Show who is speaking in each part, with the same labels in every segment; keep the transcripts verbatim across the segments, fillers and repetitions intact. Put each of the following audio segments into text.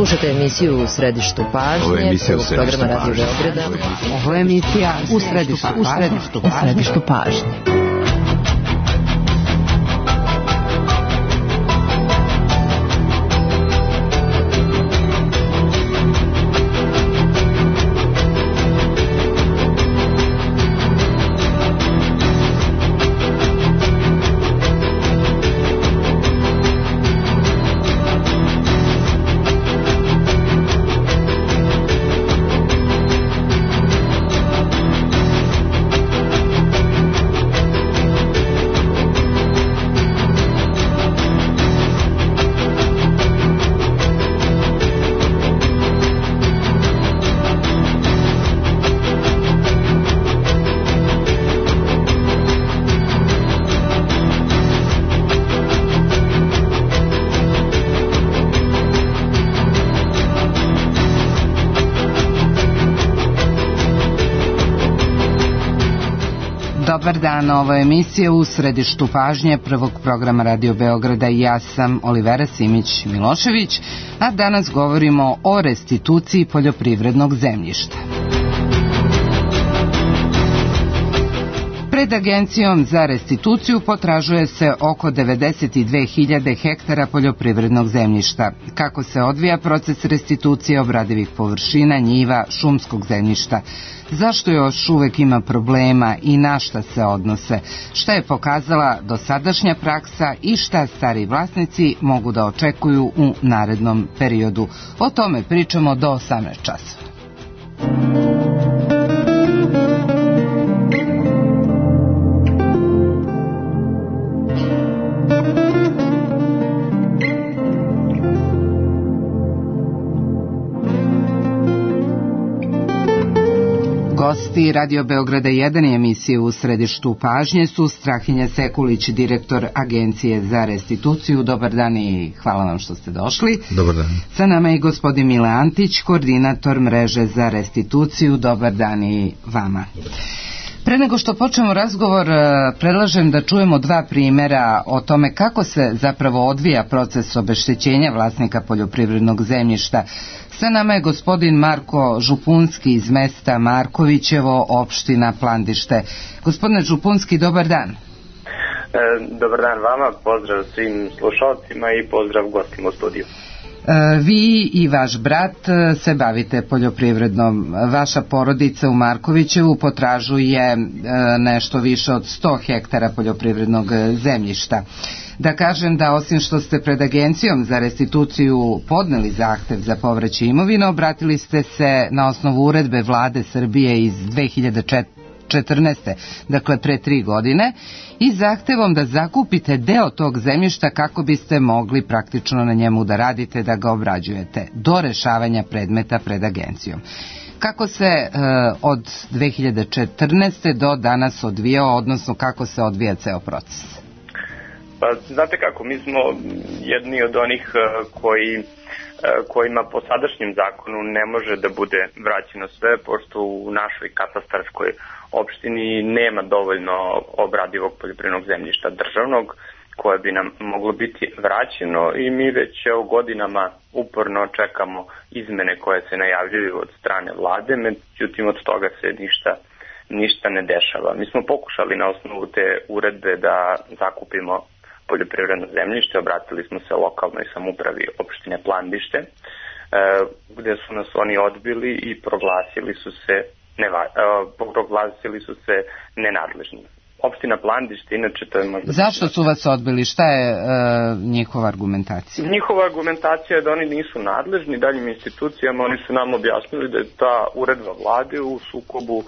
Speaker 1: Slušajte emisiju U središtu pažnje.
Speaker 2: Ovo je emisija U središtu
Speaker 1: programa Radio Beograda.
Speaker 3: Ovo je emisija U središtu, u središtu, u središtu pažnje. Dobar dan, ovo je emisija U središtu pažnje prvog programa Radio Beograda i ja sam Olivera Simić-Milošević, a danas govorimo o restituciji poljoprivrednog zemljišta. Pred Agencijom za restituciju potražuje se oko devedeset dve hiljade hektara poljoprivrednog zemljišta. Kako se odvija proces restitucije obradivih površina, njiva, šumskog zemljišta? Zašto još uvek ima problema i na šta se odnose? Šta je pokazala dosadašnja praksa i šta stari vlasnici mogu da očekuju u narednom periodu? O tome pričamo do osamnaest časova. Gosti Radio Beograda jedan i emisije U središtu pažnje su Strahinja Sekulić, direktor Agencije za restituciju. Dobar dan i hvala vam što ste došli.
Speaker 2: Dobar dan.
Speaker 3: Sa nama je i gospodin Mile Antić, koordinator mreže za restituciju. Dobar dan i vama. Pre nego što počnemo razgovor, predlažem da čujemo dva primjera o tome kako se zapravo odvija proces obeštećenja vlasnika poljoprivrednog zemljišta. Sa nama je gospodin Marko Župunski iz mesta Markovićevo, opština Plandište. Gospodine Župunski, dobar dan.
Speaker 4: E, dobar dan vama, pozdrav svim slušalcima i pozdrav gostima u studiju.
Speaker 3: Vi i vaš brat se bavite poljoprivrednom. Vaša porodica u Markovićevu potražuje nešto više od sto hektara poljoprivrednog zemljišta. Da kažem da osim što ste pred Agencijom za restituciju podneli zahtev za povraćaj imovine, obratili ste se na osnovu uredbe Vlade Srbije iz dve hiljade četrnaeste. dakle pre tri godine, i zahtevom da zakupite deo tog zemljišta kako biste mogli praktično na njemu da radite, da ga obrađujete, do rešavanja predmeta pred Agencijom. Kako se e, od dve hiljade četrnaeste. do danas odvijao, odnosno kako se odvija ceo proces?
Speaker 4: Pa, znate kako, mi smo jedni od onih koji, kojima po sadašnjem zakonu ne može da bude vraćeno sve, pošto u našoj katastarskoj opštini nema dovoljno obradivog poljoprivrednog zemljišta državnog koje bi nam moglo biti vraćeno i mi već evo godinama uporno čekamo izmene koje se najavljuju od strane vlade, međutim od toga se ništa, ništa ne dešava. Mi smo pokušali na osnovu te uredbe da zakupimo poljoprivredno zemljište, obratili smo se lokalnoj samoupravi opštine Plandište, e, gde su nas oni odbili i proglasili su se neva, e, proglasili su se nenadležnim. Opština Plandište, inače to je možda...
Speaker 3: Zašto su vas odbili? Šta je e, njihova argumentacija?
Speaker 4: Njihova argumentacija je da oni nisu nadležni daljim institucijama, oni su nam objasnili da je ta uredba vlade u sukobu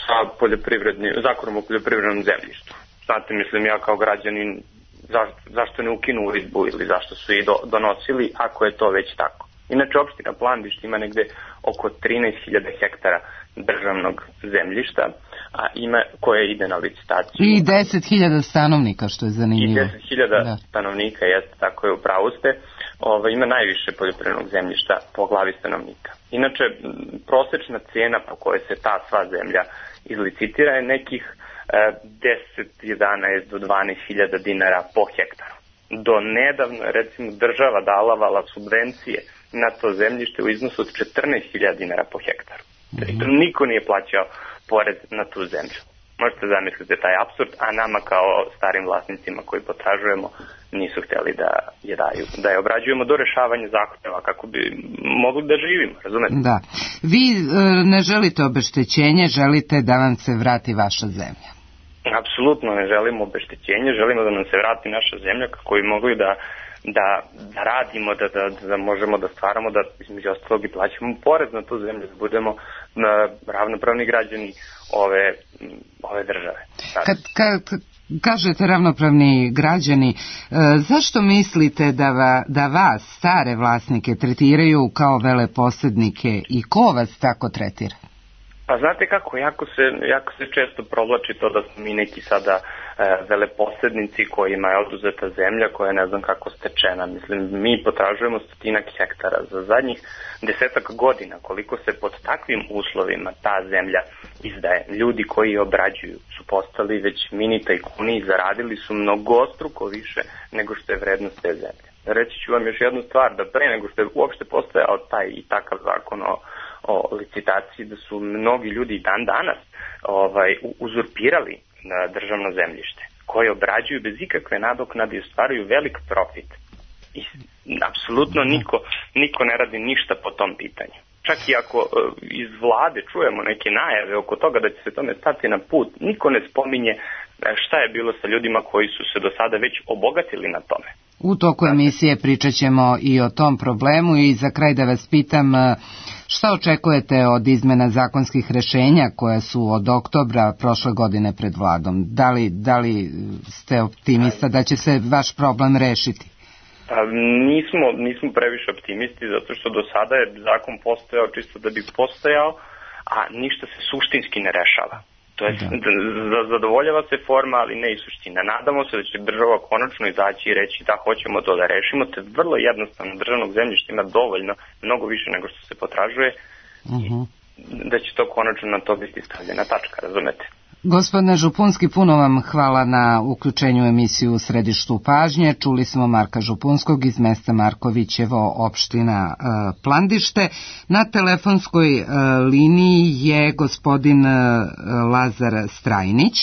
Speaker 4: sa poljoprivrednim, zakonom o poljoprivrednom zemljištu. Znate, mislim, ja kao građanin Zašto, zašto ne ukinu uredbu ili zašto su i do, donosili ako je to već tako. Inače, opština Plandište ima negde oko trinaest hiljada hektara državnog zemljišta, a ima koje ide na licitaciju.
Speaker 3: I deset hiljada stanovnika, što je zanimljivo.
Speaker 4: I deset hiljada da. stanovnika, jeste, tako je, upravo ste. Ova, ima najviše poljoprivrednog zemljišta po glavi stanovnika. Inače, prosečna cena po kojoj se ta sva zemlja izlicitira je nekih deset, jedanaest do dvanaest hiljada dinara po hektaru. Do nedavno, recimo, država dalavala subvencije na to zemljište u iznosu od četrnaest hiljada dinara po hektaru. Mm-hmm. Niko nije plaćao porez na tu zemlju. Možete zamisliti taj apsurd, a nama kao starim vlasnicima koji potražujemo nisu htjeli da je daju, da je obrađujemo do rešavanja zahtjeva kako bi mogli da živimo, razumete?
Speaker 3: Da. Vi e, ne želite obeštećenje, želite da vam se vrati vaša zemlja.
Speaker 4: Apsolutno ne želimo obeštećenje, želimo da nam se vrati naša zemlja kako bi mogli da, da, da radimo, da, da, da možemo da stvaramo, da između ostalog i plaćamo porez na tu zemlju, da budemo na ravnopravni građani ove, ove države.
Speaker 3: Kad, kad kažete ravnopravni građani, e, zašto mislite da, va, da vas, stare vlasnike, tretiraju kao veleposjednike i ko vas tako tretira?
Speaker 4: Pa znate kako, jako se, jako se često provlači to da smo mi neki sada e, veleposjednici kojima je oduzeta zemlja koja je ne znam kako stečena. Mislim, mi potražujemo stotinak hektara za zadnjih desetak godina, koliko se pod takvim uslovima ta zemlja izdaje. Ljudi koji je obrađuju su postali već mini tajkuni i zaradili su mnogostruko više nego što je vrednost te zemlje. Reći ću vam još jednu stvar, da pre nego što je uopšte postojao taj i takav zakon o o licitaciji, da su mnogi ljudi dan danas ovaj, uzurpirali na državno zemljište, koje obrađuju bez ikakve nadoknade i ostvaruju velik profit. I apsolutno niko, niko ne radi ništa po tom pitanju. Čak i ako uh, iz vlade čujemo neke najave oko toga da će se tome stati na put, niko ne spominje šta je bilo sa ljudima koji su se do sada već obogatili na tome.
Speaker 3: U toku emisije pričat ćemo i o tom problemu i za kraj da vas pitam šta očekujete od izmena zakonskih rešenja koje su od oktobra prošle godine pred vladom? Da li, da li ste optimista da će se vaš problem rešiti?
Speaker 4: Pa, nismo, nismo previše optimisti zato što do sada je zakon postojao čisto da bi postojao, a ništa se suštinski ne rešava. To je, da. Zadovoljava se forma, ali ne i suština. Nadamo se da će država konačno izaći i reći da hoćemo to da rešimo, te vrlo jednostavno državnog zemljišta ima dovoljno, mnogo više nego što se potražuje, uh-huh. da će to konačno na to biti stavljena tačka, razumete?
Speaker 3: Gospodine Župunski, puno vam hvala na uključenju u emisiju u Središtu pažnje. Čuli smo Marka Župunskog iz mesta Markovićevo, opština e, Plandište. Na telefonskoj e, liniji je gospodin e, Lazar Strajnić,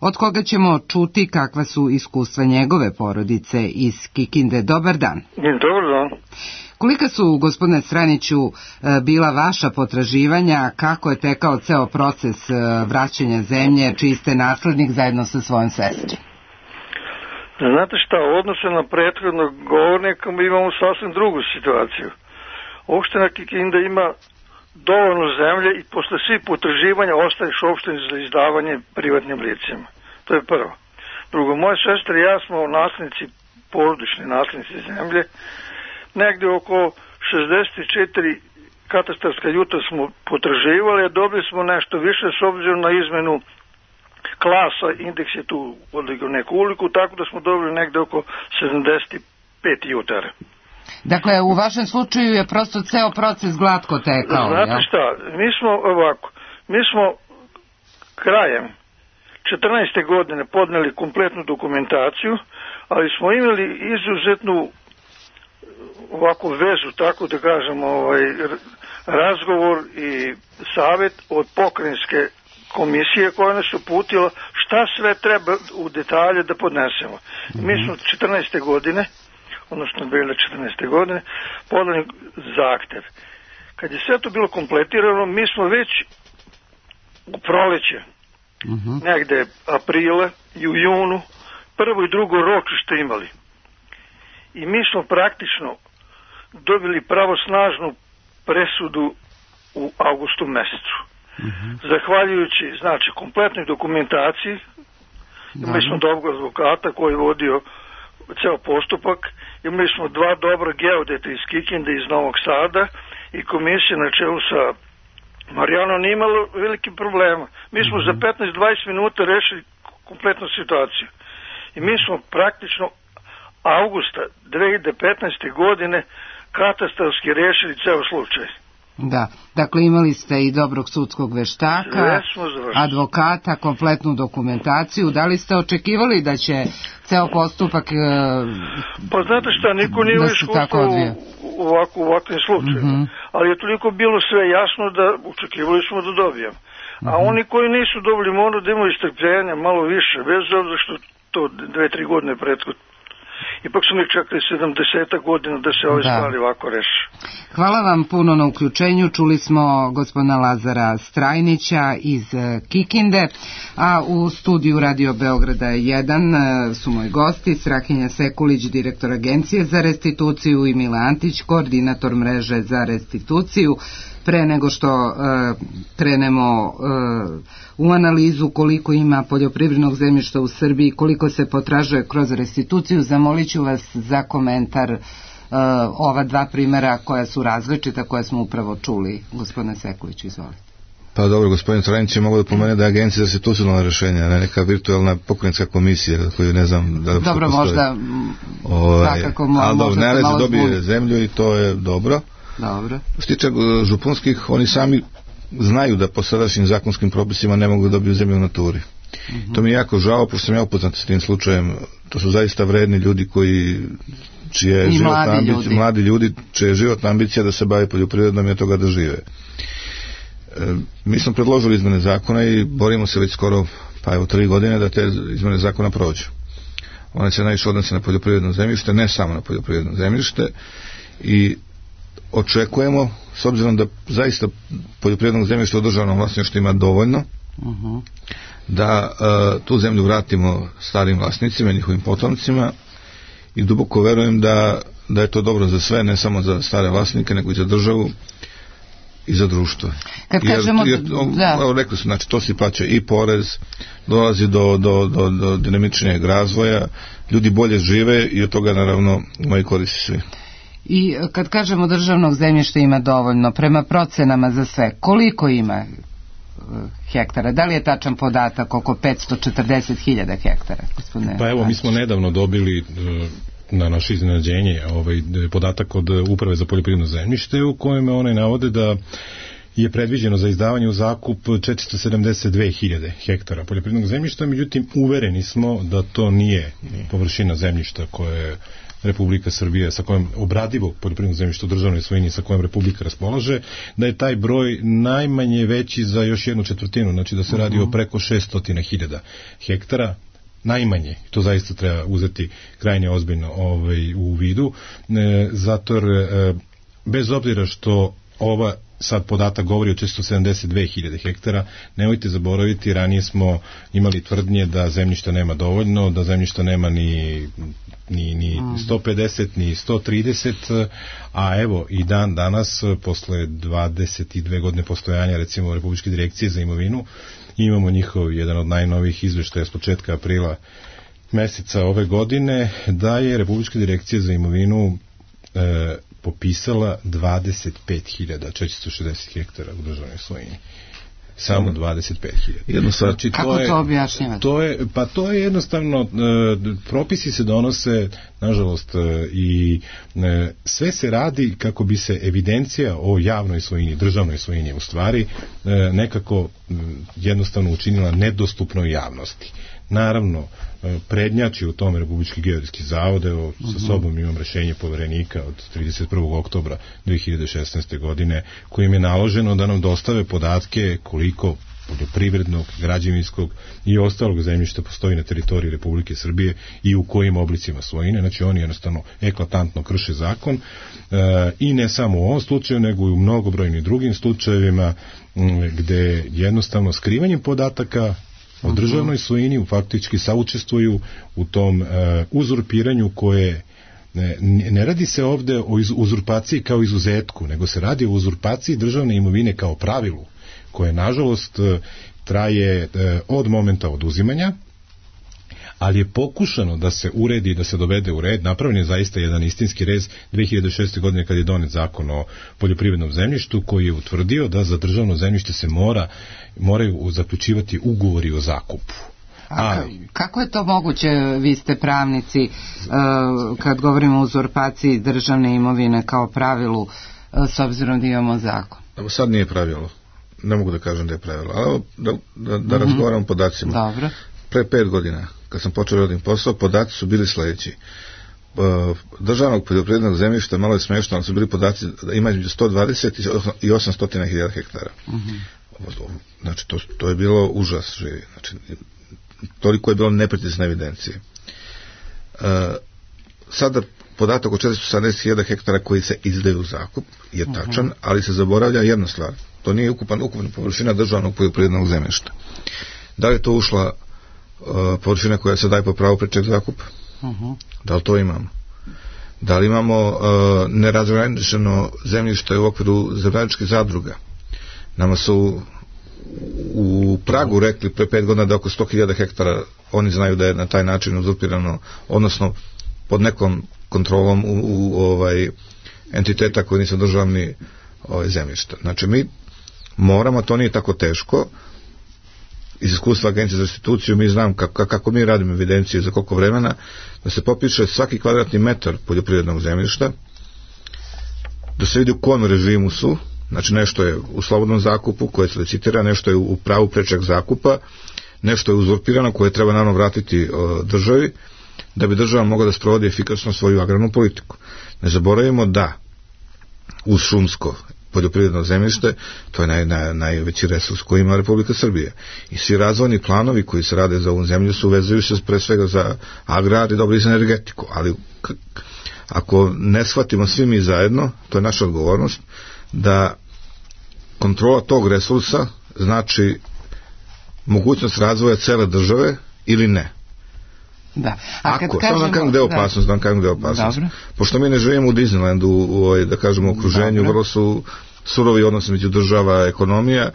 Speaker 3: od koga ćemo čuti kakva su iskustva njegove porodice iz Kikinde. Dobar dan.
Speaker 2: Dobar dan.
Speaker 3: Kolika su, gospodine Straniću, bila vaša potraživanja, kako je tekao ceo proces vraćanja zemlje, čiji ste naslednik zajedno sa svojom sestrom?
Speaker 2: Znate šta, u odnosu na prethodnog govornika mi imamo sasvim drugu situaciju. Opština Kikinda ima dovoljno zemlje i posle svih potraživanja ostaješ opštini za izdavanje privatnim licima. To je prvo. Drugo, moje sestre i ja smo naslednici, porodični naslednici zemlje. Negde oko šezdeset četiri katastarska juta smo potraživali, a dobili smo nešto više s obzirom na izmenu klasa, indeks je tu odigao neku uliku, tako da smo dobili negde oko sedamdeset pet jutara.
Speaker 3: Dakle, u vašem slučaju je prosto ceo proces glatko tekao.
Speaker 2: Znate
Speaker 3: ja?
Speaker 2: šta, mi smo ovako, mi smo krajem četrnaeste godine podneli kompletnu dokumentaciju, ali smo imali izuzetnu ovako vezu, tako da kažem, ovaj, razgovor i savjet od pokrajinske komisije koja nas uputila šta sve treba u detalje da podnesemo. Mm-hmm. Mi smo četrnaeste godine, odnosno bile četrnaeste godine, podali zahtev. Kad je sve to bilo kompletirano, mi smo već u proleće, mm-hmm. negde aprila i u junu, prvo i drugo ročište imali. I mi smo praktično dobili pravosnažnu presudu u avgustu mesecu. Mm-hmm. Zahvaljujući, znači, kompletnoj dokumentaciji, imali smo dobrog advokata koji je vodio ceo postupak, imali smo dva dobra geodeta iz Kikinde, iz Novog Sada i komisija na čelu sa Marijanom nije imalo veliki problema. Mi smo mm-hmm. za petnaest do dvadeset minuta rešili kompletnu situaciju. I mi smo praktično avgusta dve hiljade petnaeste godine katastarski rešili ceo slučaj.
Speaker 3: Da, dakle imali ste i dobrog sudskog veštaka, advokata, kompletnu dokumentaciju. Da li ste očekivali da će ceo postupak e,
Speaker 2: pa znate šta, niko nije
Speaker 3: da
Speaker 2: iskustvo u, ovako, u ovakvim slučajima, mm-hmm. ali je toliko bilo sve jasno da očekivali smo da dobijem. A mm-hmm. oni koji nisu dobili moraju da imaju strpljenja malo više, bez obzira što to dve, tri godine prethodno. Ipak su mi čekali sedamdeset godina da se ove stvari ovako reši.
Speaker 3: Hvala vam puno na uključenju. Čuli smo gospodina Lazara Strajnića iz Kikinde, a u studiju Radio Beograda jedan su moji gosti Strahinja Sekulić, direktor Agencije za restituciju, i Mile Antić, koordinator mreže za restituciju. Pre nego što uh, krenemo uh, u analizu koliko ima poljoprivrednog zemljišta u Srbiji, koliko se potražuje kroz restituciju, zamolit ću vas za komentar uh, ova dva primjera koja su različita, koja smo upravo čuli. Gospodine Sekulić, izvolite.
Speaker 5: Pa dobro, gospodin Trajnić je mogu da pomene da je Agencija za restitucionalna rešenja, ne neka virtualna pokrenjska komisija koju ne znam da li
Speaker 3: dobro, možda
Speaker 5: ovaj, svakako mo, ali dobro, ne se dobije zbuni. zemlju i to je dobro.
Speaker 3: Dobro.
Speaker 5: Što se tiče županskih, oni sami znaju da po sadašnjim zakonskim propisima ne mogu da dobiju zemlju u naturi. Mm-hmm. To mi je jako žao, pošto sam ja upoznat s tim slučajem. To su zaista vredni ljudi koji čije je životna ambicija, ljudi. mladi ljudi, čije je životna ambicija da se bave poljoprivredom i od toga da žive. E, mi smo predložili izmene zakona i borimo se već skoro, pa evo, tri godine da te izmene zakona prođu. One se najviše odnose na poljoprivredno zemljište, ne samo na poljoprivredno zemljište, i očekujemo, s obzirom da zaista poljoprivrednog zemljišta u državnom vlasništvu ima dovoljno, uh-huh. da uh, tu zemlju vratimo starim vlasnicima, njihovim potomcima, i duboko verujem da, da je to dobro za sve, ne samo za stare vlasnike, nego i za državu i za društvo.
Speaker 3: Kad jer, kažemo,
Speaker 5: jer, da. Evo, rekli su, znači, to si plaća i porez, dolazi do, do, do, do dinamičnijeg razvoja, ljudi bolje žive i od toga naravno imaju koristi svi.
Speaker 3: I kad kažemo državnog zemljišta ima dovoljno, prema procenama za sve, koliko ima hektara? Da li je tačan podatak oko petsto četrdeset hiljada hektara? Gospodine
Speaker 6: pa evo, mi smo nedavno dobili na naše iznenađenje ovaj podatak od Uprave za poljoprivredno zemljište, u kojem one navode da je predviđeno za izdavanje u zakup četiristo sedamdeset dve hiljade hektara poljoprivrednog zemljišta, međutim uvereni smo da to nije površina zemljišta koje Republika Srbija, sa kojom obradivo poljoprivredno zemljište u državnoj svojini sa kojom Republika raspolaže, da je taj broj najmanje veći za još jednu četvrtinu, znači da se radi o preko šesto hiljada hektara, najmanje. To zaista treba uzeti krajnje ozbiljno ovaj, u vidu, e, zato e, bez obzira što ova sad podatak govori o četiristo sedamdeset dve hiljade hektara, nemojte zaboraviti, ranije smo imali tvrdnje da zemljišta nema dovoljno, da zemljišta nema ni, ni, ni sto pedeset, ni sto trideset, a evo i dan danas, posle dvadeset dve godine postojanja, recimo Republičke direkcije za imovinu, imamo njihov jedan od najnovijih izveštaja s početka aprila meseca ove godine, da je Republička direkcija za imovinu e, popisala dvadeset pet hiljada četiristo šezdeset hektara u državnoj svojini. Samo dvadeset pet hiljada.
Speaker 3: Znači, kako to, je, to objašnjavate?
Speaker 6: To je, pa to je jednostavno, e, propisi se donose, nažalost, e, i e, sve se radi kako bi se evidencija o javnoj svojini, državnoj svojini u stvari, e, nekako e, jednostavno učinila nedostupnoj javnosti. Naravno, prednjači u tome Republički geodetski zavod, evo, sa sobom imam rešenje poverenika od trideset prvog oktobra dve hiljade šesnaeste godine, kojim je naloženo da nam dostave podatke koliko poljoprivrednog, građevinskog i ostalog zemljišta postoji na teritoriji Republike Srbije i u kojim oblicima svojine. Znači oni jednostavno eklatantno krše zakon, e, i ne samo u ovom slučaju, nego i u mnogobrojnim drugim slučajevima m, gde jednostavno skrivanjem podataka o državnoj svojini u faktički saučestvuju u tom uh, uzurpiranju koje ne, ne radi se ovde o uzurpaciji kao izuzetku, nego se radi o uzurpaciji državne imovine kao pravilu, koje nažalost traje uh, od momenta oduzimanja, ali je pokušano da se uredi, da se dovede u red. Napravljen je zaista jedan istinski rez dve hiljade šeste. godine kad je donet zakon o poljoprivrednom zemljištu, koji je utvrdio da za državno zemljište se mora, moraju zaključivati ugovori o zakupu.
Speaker 3: A kako je to moguće, vi ste pravnici, uh, kad govorimo o uzurpaciji državne imovine kao pravilu, s obzirom da imamo zakon?
Speaker 5: Evo sad nije pravilo. Ne mogu da kažem da je pravilo. Ali da, da, da mm-hmm. razgovaram o podacima.
Speaker 3: Dobro.
Speaker 5: Pre pet godina, kad sam počeo radim posao, podaci su bili sledeći. Državnog poljoprivrednog zemljišta, malo je smešno, ali su bili podaci da ima između sto dvadeset i osamsto hiljada hektara. Mm-hmm. Znači, to, to je bilo užas živi. Znači, toliko je bilo neprecizne evidencije. E, sada podatak o četiristo sedamdeset hiljada hektara koji se izdaju u zakup je tačan, uh-huh. ali se zaboravlja jedna stvar. To nije ukupan, ukupna površina državnog poljoprivrednog zemljišta. Da li je to ušla uh, površina koja se daje po pravu prečeg zakupa? Uh-huh. Da li to imamo? Da li imamo uh, nerazgraničeno zemljište u okviru zemljičkih zadruga? Nama su u Pragu rekli pre pet godina da oko sto hiljada hektara oni znaju da je na taj način uzurpirano, odnosno pod nekom kontrolom u, u ovaj entiteta koji nisu državni ovaj, zemljišta. Znači mi moramo, to nije tako teško, iz iskustva Agencije za restituciju mi znam kako, kako mi radimo evidenciju za koliko vremena, da se popiše svaki kvadratni metar poljoprivrednog zemljišta, da se vidi u kojem režimu su. Znači nešto je u slobodnom zakupu koje se licitira, nešto je u pravu prečeg zakupa, nešto je uzurpirano koje treba naravno vratiti o, državi, da bi država mogla da sprovodi efikasno svoju agrarnu politiku. Ne zaboravimo da uz šumsko poljoprivredno zemljište, to je naj, naj, najveći resurs koji ima Republika Srbija. I svi razvojni planovi koji se rade za ovu zemlju su vezuju se pre svega za agrar i dobro i za energetiku. Ali k- ako ne shvatimo svi mi zajedno, to je naša odgovornost, da kontrola tog resursa znači mogućnost razvoja cele države ili ne.
Speaker 3: Da. A
Speaker 5: Ako, kažemo, samo da kažem gde je opasnost, da, da kažem gde je opasnost. Dobro. Pošto mi ne živimo u Disneylandu, u, u, da kažemo, okruženju, dobro. Vrlo su surovi odnosi među država, ekonomija.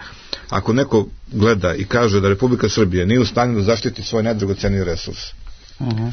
Speaker 5: Ako neko gleda i kaže da Republika Srbije nije u stanju da zaštiti svoj najdragoceniji resurs, uh-huh.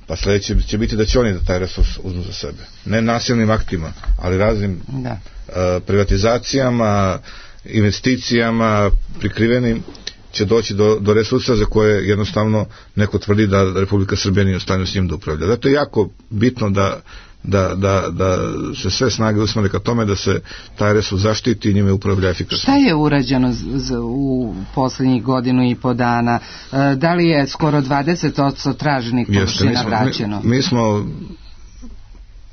Speaker 5: pa sledeće će biti da će oni da taj resurs uzmu za sebe. Ne nasilnim aktima, ali raznim da. uh, privatizacijama, investicijama, prikrivenim, će doći do, do resursa za koje jednostavno neko tvrdi da Republika Srbija nije u stanju s njim da upravlja. Zato je jako bitno da, da, da, da se sve snage usmere ka tome da se taj resurs zaštiti i njime upravlja efikasno.
Speaker 3: Šta je urađeno z, z, u poslednjih godinu i po dana? E, da li je skoro dvadeset posto traženih površina vraćeno?
Speaker 5: Mi, mi smo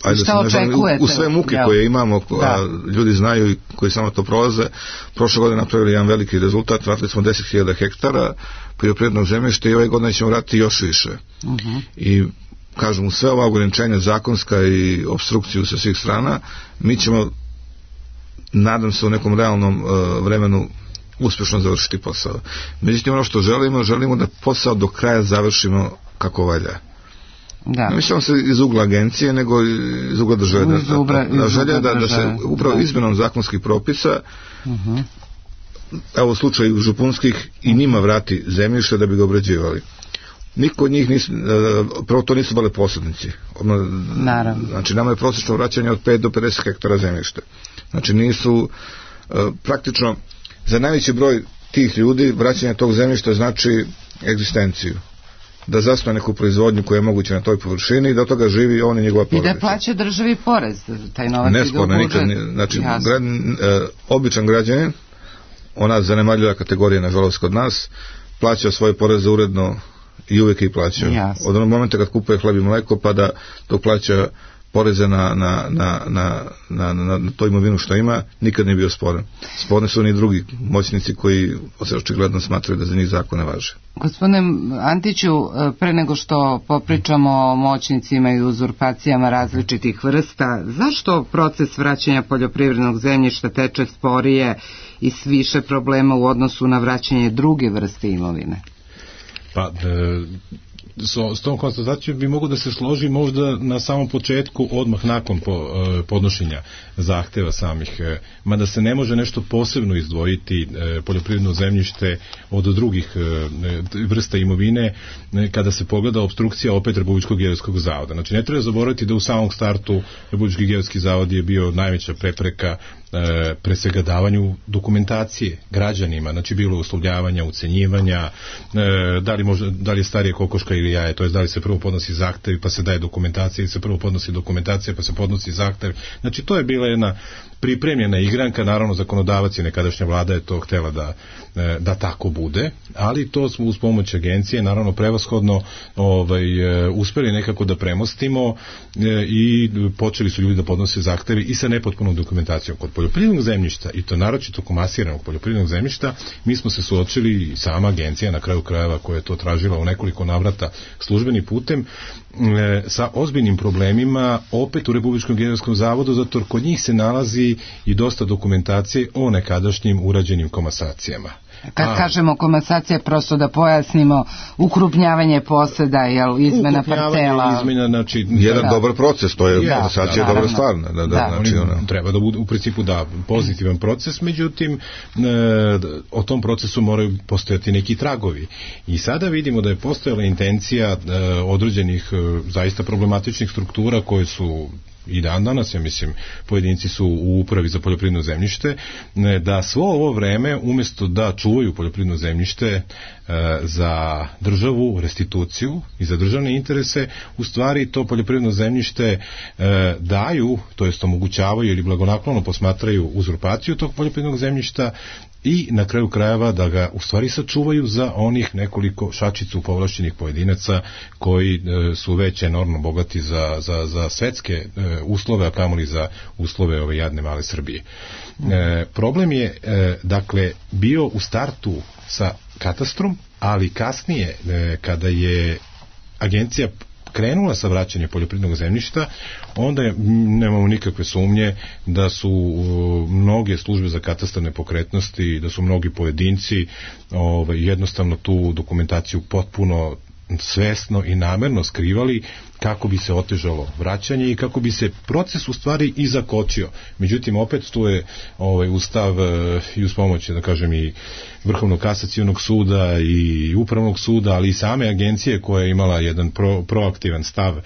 Speaker 5: Ajde
Speaker 3: šta očekujete?
Speaker 5: U, u sve muke ja. koje imamo, a ljudi znaju i koji samo to prolaze, prošle godine napravili jedan veliki rezultat, vratili smo deset hiljada hektara poljoprivrednog zemljišta i ove godine ćemo vratiti još više. Uh-huh. I kažem, u sve ova ograničenja zakonska i obstrukciju sa svih strana, mi ćemo, nadam se, u nekom realnom uh, vremenu uspešno završiti posao. Međutim, ono što želimo, želimo da posao do kraja završimo kako valja. Da. Ne mislimo se iz ugla agencije, nego iz ugla države. Da, da, da, želja da, da se upravo da. izmenom zakonskih propisa uh-huh. evo u slučaju župunskih i njima vrati zemljište da bi ga obrađivali. Niko od njih nisu, prvo to nisu bile posrednici.
Speaker 3: Naravno.
Speaker 5: Znači nama je prosječno vraćanje od pet do pedeset hektara zemljište. Znači nisu praktično za najveći broj tih ljudi vraćanje tog zemljišta znači egzistenciju, da zasnuje neku proizvodnju koja je moguća na toj površini i da od toga živi on i njegova porodica.
Speaker 3: I da plaća državi porez, taj novac ide u budžet.
Speaker 5: Nikad, znači, grad, e, običan građanin, ona zanemarljiva kategorija, nažalost, kod nas, plaća svoje poreze uredno i uvijek ih plaća. Jasne. Od onog momenta kad kupuje hleb i mleko, pa da to plaća poreze na, na, na, na, na, na, na to imovinu što ima, nikad nije bio sporan. Sporni su oni drugi moćnici koji očigledno smatraju da za njih zakon ne važe.
Speaker 3: Gospodine Antiću, pre nego što popričamo o moćnicima i uzurpacijama različitih vrsta, zašto proces vraćanja poljoprivrednog zemljišta teče sporije i s više problema u odnosu na vraćanje druge vrste imovine?
Speaker 6: Pa, e, so, s tom konstatacijom bi mogu da se složi možda na samom početku, odmah nakon po, e, podnošenja zahteva samih, e, mada se ne može nešto posebno izdvojiti e, poljoprivredno zemljište od drugih e, vrsta imovine e, kada se pogleda obstrukcija opet Republičkog geodetskog zavoda. Znači ne treba zaboraviti da u samom startu Republički geodetski zavod je bio najveća prepreka E, pre svega davanju dokumentacije građanima, znači bilo uslovljavanja, ucenjivanja, e, da li, možda, da li je starije kokoška kokoška ili jaje, to je da li se prvo podnosi zahtev pa se daje dokumentacija, ili se prvo podnosi dokumentacija pa se podnosi zahtev. Znači to je bila jedna pripremljena igranka, naravno zakonodavac i nekadašnja vlada je to htjela da, da tako bude, ali to smo uz pomoć agencije naravno prevashodno ovaj, uspeli nekako da premostimo i počeli su ljudi da podnose zahtevi i sa nepotpunom dokumentacijom. Kod poljoprivrednog zemljišta, i to naročito komasiranog poljoprivrednog zemljišta, mi smo se suočili i sama agencija na kraju krajeva koja je to tražila u nekoliko navrata službenim putem e, sa ozbiljnim problemima opet u Republičkom geodetskom zavodu, zato jer kod njih se nalazi i dosta dokumentacije o nekadašnjim urađenim komasacijama.
Speaker 3: Kad A, kažemo komasacija, prosto da pojasnimo, ukrupnjavanje poseda, jel, izmena parcela.
Speaker 6: Izmena, znači,
Speaker 5: jedan
Speaker 6: da,
Speaker 5: dobar proces, to je komasacija da, dobra stvar. Da, da, da, znači,
Speaker 6: ono. Treba da bude u principu da pozitivan proces, međutim e, o tom procesu moraju postojati neki tragovi. I sada vidimo da je postojala intencija e, određenih e, zaista problematičnih struktura koje su i dan danas, ja mislim, pojedinci su u upravi za poljoprivredno zemljište, da svo ovo vreme, umjesto da čuvaju poljoprivredno zemljište e, za državu, restituciju i za državne interese, u stvari to poljoprivredno zemljište e, daju, to jest omogućavaju ili blagonaklono posmatraju uzurpaciju tog poljoprivrednog zemljišta i na kraju krajeva da ga u stvari sačuvaju za onih nekoliko šačicu povlašćenih pojedinaca koji e, su već enormno bogati za, za, za svetske e, uslove, a kamoli za uslove ove jadne male Srbije. E, problem je e, dakle bio u startu sa katastrom, ali kasnije e, kada je agencija krenula sa vraćanjem poljoprivrednog zemljišta, onda je, nemamo nikakve sumnje da su uh, mnoge službe za katastar nepokretnosti, da su mnogi pojedinci ovaj, jednostavno tu dokumentaciju potpuno svesno i namerno skrivali kako bi se otežalo vraćanje i kako bi se proces u stvari i zakočio. Međutim, opet tu je ovaj, ustav i uz pomoć, da kažem, i Vrhovnog kasacionog suda i Upravnog suda, ali i same agencije koja je imala jedan pro, proaktivan stav e,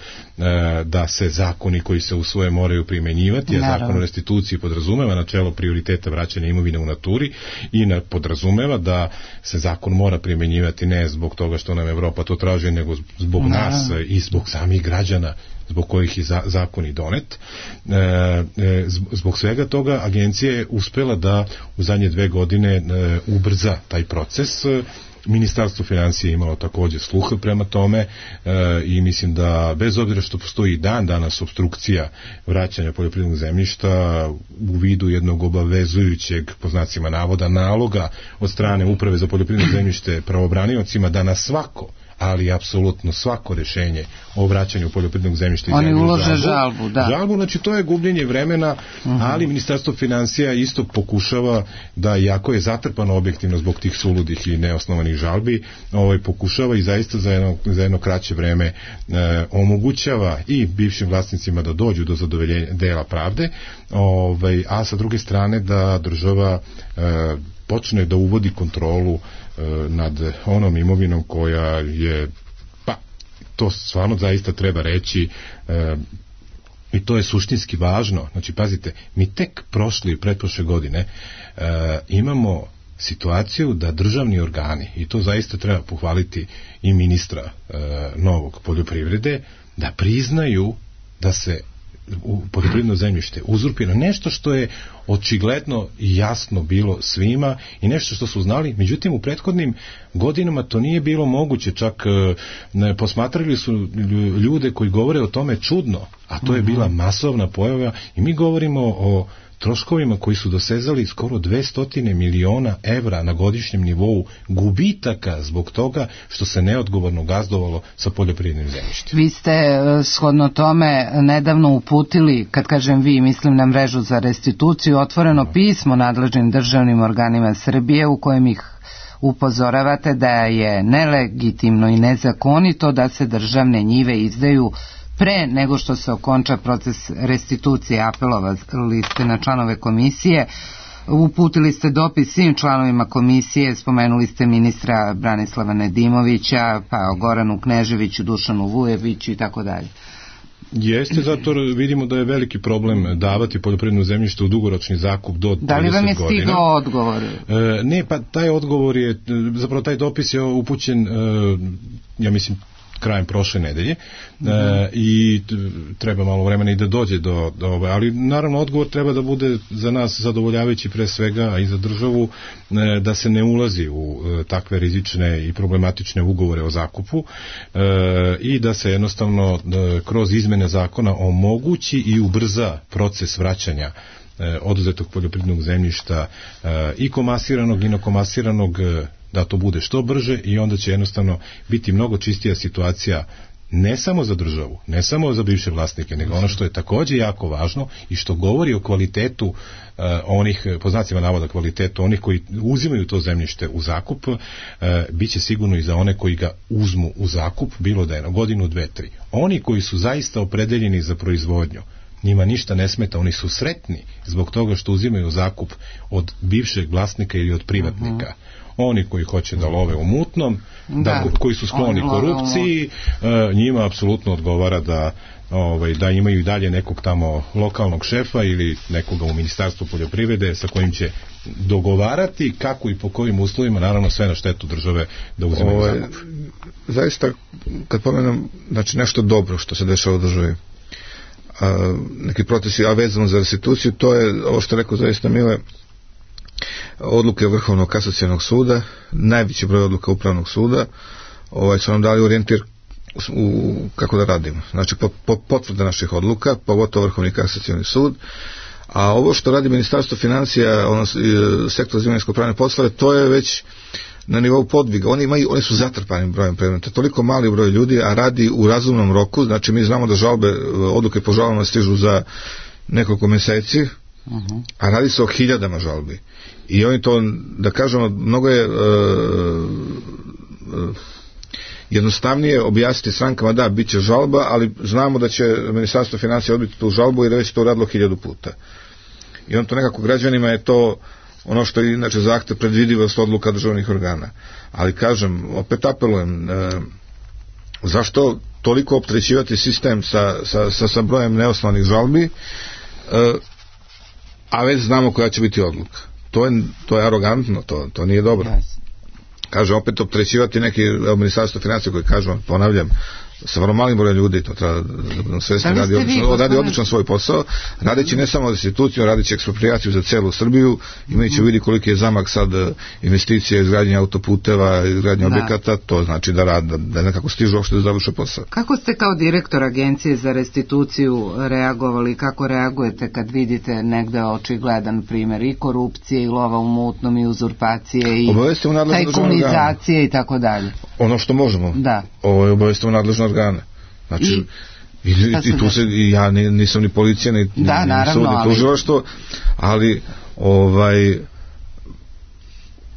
Speaker 6: da se zakoni koji se usvoje moraju primenjivati, a zakon o restituciji podrazumeva načelo prioriteta vraćanja imovine u naturi i na, podrazumeva da se zakon mora primenjivati ne zbog toga što nam Evropa to traži, nego zbog Naravno. nas i zbog samih građana zbog kojih je za, zakon i donet. E, e, zbog svega toga agencija je uspela da u zadnje dve godine e, ubrza taj proces. Ministarstvo financije imalo također sluha prema tome e, i mislim da bez obzira što postoji dan danas obstrukcija vraćanja poljoprivrednog zemljišta u vidu jednog obavezujućeg, po znacima navoda, naloga od strane Uprave za poljoprivredno zemljište pravobraniocima da na svako, ali apsolutno svako rješenje o vraćanju poljoprivrednog zemljišta
Speaker 3: oni ulože žalbu, da.
Speaker 6: Žalbu, znači to je gubljenje vremena, uh-huh. ali Ministarstvo financija isto pokušava da, iako je zatrpano objektivno zbog tih suludih i neosnovanih žalbi, ovaj, pokušava i zaista za jedno, za jedno kraće vreme e, omogućava i bivšim vlasnicima da dođu do zadovoljenja dela pravde, ovaj, a sa druge strane da država e, počne da uvodi kontrolu nad onom imovinom koja je, pa to stvarno zaista treba reći e, i to je suštinski važno. Znači pazite, mi tek prošle i pretprošle godine e, imamo situaciju da državni organi, i to zaista treba pohvaliti i ministra e, novog poljoprivrede, da priznaju da se u poljoprivredno zemljište uzurpira nešto što je očigledno i jasno bilo svima i nešto što su znali, međutim u prethodnim godinama to nije bilo moguće, čak ne, posmatrali su ljude koji govore o tome čudno, a to je bila masovna pojava i mi govorimo o troškovima koji su dosezali skoro dvesta miliona evra na godišnjem nivou gubitaka zbog toga što se neodgovorno gazdovalo sa poljoprivrednim zemljištem.
Speaker 3: Vi ste shodno tome nedavno uputili, kad kažem vi, mislim na mrežu za restituciju, otvoreno pismo nadležnim državnim organima Srbije u kojem ih upozoravate da je nelegitimno i nezakonito da se državne njive izdaju pre nego što se okonča proces restitucije. Apelovali ste na članove komisije, uputili ste dopis svim članovima komisije, spomenuli ste ministra Branislava Nedimovića, pa Goranu Kneževiću, Dušanu Vujeviću i tako dalje.
Speaker 6: Jeste, zato vidimo da je veliki problem davati poljoprivredno zemljište u dugoročni zakup do trideset godina.
Speaker 3: Da li vam je stigao odgovor?
Speaker 6: E, ne, pa taj odgovor je, zapravo taj dopis je upućen, e, ja mislim, krajem prošle nedelje, mm-hmm. e, i treba malo vremena i da dođe do, do ove, ali naravno odgovor treba da bude za nas zadovoljavajući pre svega, a i za državu, e, da se ne ulazi u e, takve rizične i problematične ugovore o zakupu, e, i da se jednostavno da, kroz izmene zakona omogući i ubrza proces vraćanja e, oduzetog poljoprivrednog zemljišta, e, i komasiranog i nekomasiranog, e, da to bude što brže, i onda će jednostavno biti mnogo čistija situacija, ne samo za državu, ne samo za bivše vlasnike, nego ono što je takođe jako važno i što govori o kvalitetu uh, onih, po znacima navoda kvalitetu onih koji uzimaju to zemljište u zakup, uh, bit će sigurno i za one koji ga uzmu u zakup, bilo da je na godinu, dve, tri. Oni koji su zaista opredeljeni za proizvodnju, njima ništa ne smeta, oni su sretni zbog toga što uzimaju zakup od bivšeg vlasnika ili od privatnika. Uh-huh. Oni koji hoće da love u mutnom, da, da koji su skloni korupciji, njima apsolutno odgovara da, ovaj, da imaju i dalje nekog tamo lokalnog šefa ili nekoga u Ministarstvu poljoprivrede sa kojim će dogovarati kako i po kojim uslovima, naravno sve na štetu države, da uzimaju ovaj, zakup.
Speaker 5: Zaista, kad pomenem, znači nešto dobro što se dešava u državi, a, neki procesi, a vezano za restituciju, to je, ovo što je rekao zaista Mile, odluke Vrhovnog kasacionog suda, najveći broj odluka Upravnog suda, ovaj, su nam dali orijentir u, u, kako da radimo. Znači, po, po, potvrda naših odluka, pogotovo Vrhovni kasacioni sud, a ovo što radi Ministarstvo financija, ono, sektor za imovinsko-pravne poslove, to je već na nivou podviga. Oni, imaju, oni su zatrpani brojem predmeta. Toliko mali broj ljudi, a radi u razumnom roku. Znači, mi znamo da žalbe, odluke po žalbama stižu za nekoliko meseci, uh-huh. a radi se o hiljadama žalbi. I oni to, da kažemo, mnogo je uh, uh, jednostavnije objasniti strankama, da, bit će žalba, ali znamo da će Ministarstvo financija odbiti tu žalbu i da već to radilo hiljadu puta. I on to nekako građanima je to ono što je inače zahtev predvidivost odluka državnih organa. Ali kažem, opet apelujem, uh, zašto toliko opterećivati sistem sa, sa, sa, sa brojem neosnovanih žalbi, uh, a već znamo koja će biti odluka. To je, to je arogantno, to, to nije dobro. Yes. Kaže, opet opterećivati neki Ministarstvo financija koji kažu, ponavljam, sa vrlo malim brojem ljudi, to treba da svesni, da radi, odlično, radi odlično svoj posao, radeći ne samo restituciju, radeći eksproprijaciju za celu Srbiju, imajući u vidi koliki je zamak sad investicije, izgradnje autoputeva, izgradnje da. objekata, to znači da rad, da, da nekako stižu uopšte da završe posao.
Speaker 3: Kako ste kao direktor Agencije za restituciju reagovali, kako reagujete kad vidite negde očigledan primer i korupcije, i lova u mutnom, i uzurpacije, i tajkunizacije i tako dalje? Ono
Speaker 5: što možemo.
Speaker 3: Da.
Speaker 5: Ovo je obavestimo nadležne organe. Znači, i, i, i tu se, i ja nisam ni policija, ni,
Speaker 3: da,
Speaker 5: ni,
Speaker 3: naravno,
Speaker 5: ni sud, ni tužilaštvo, ali ovaj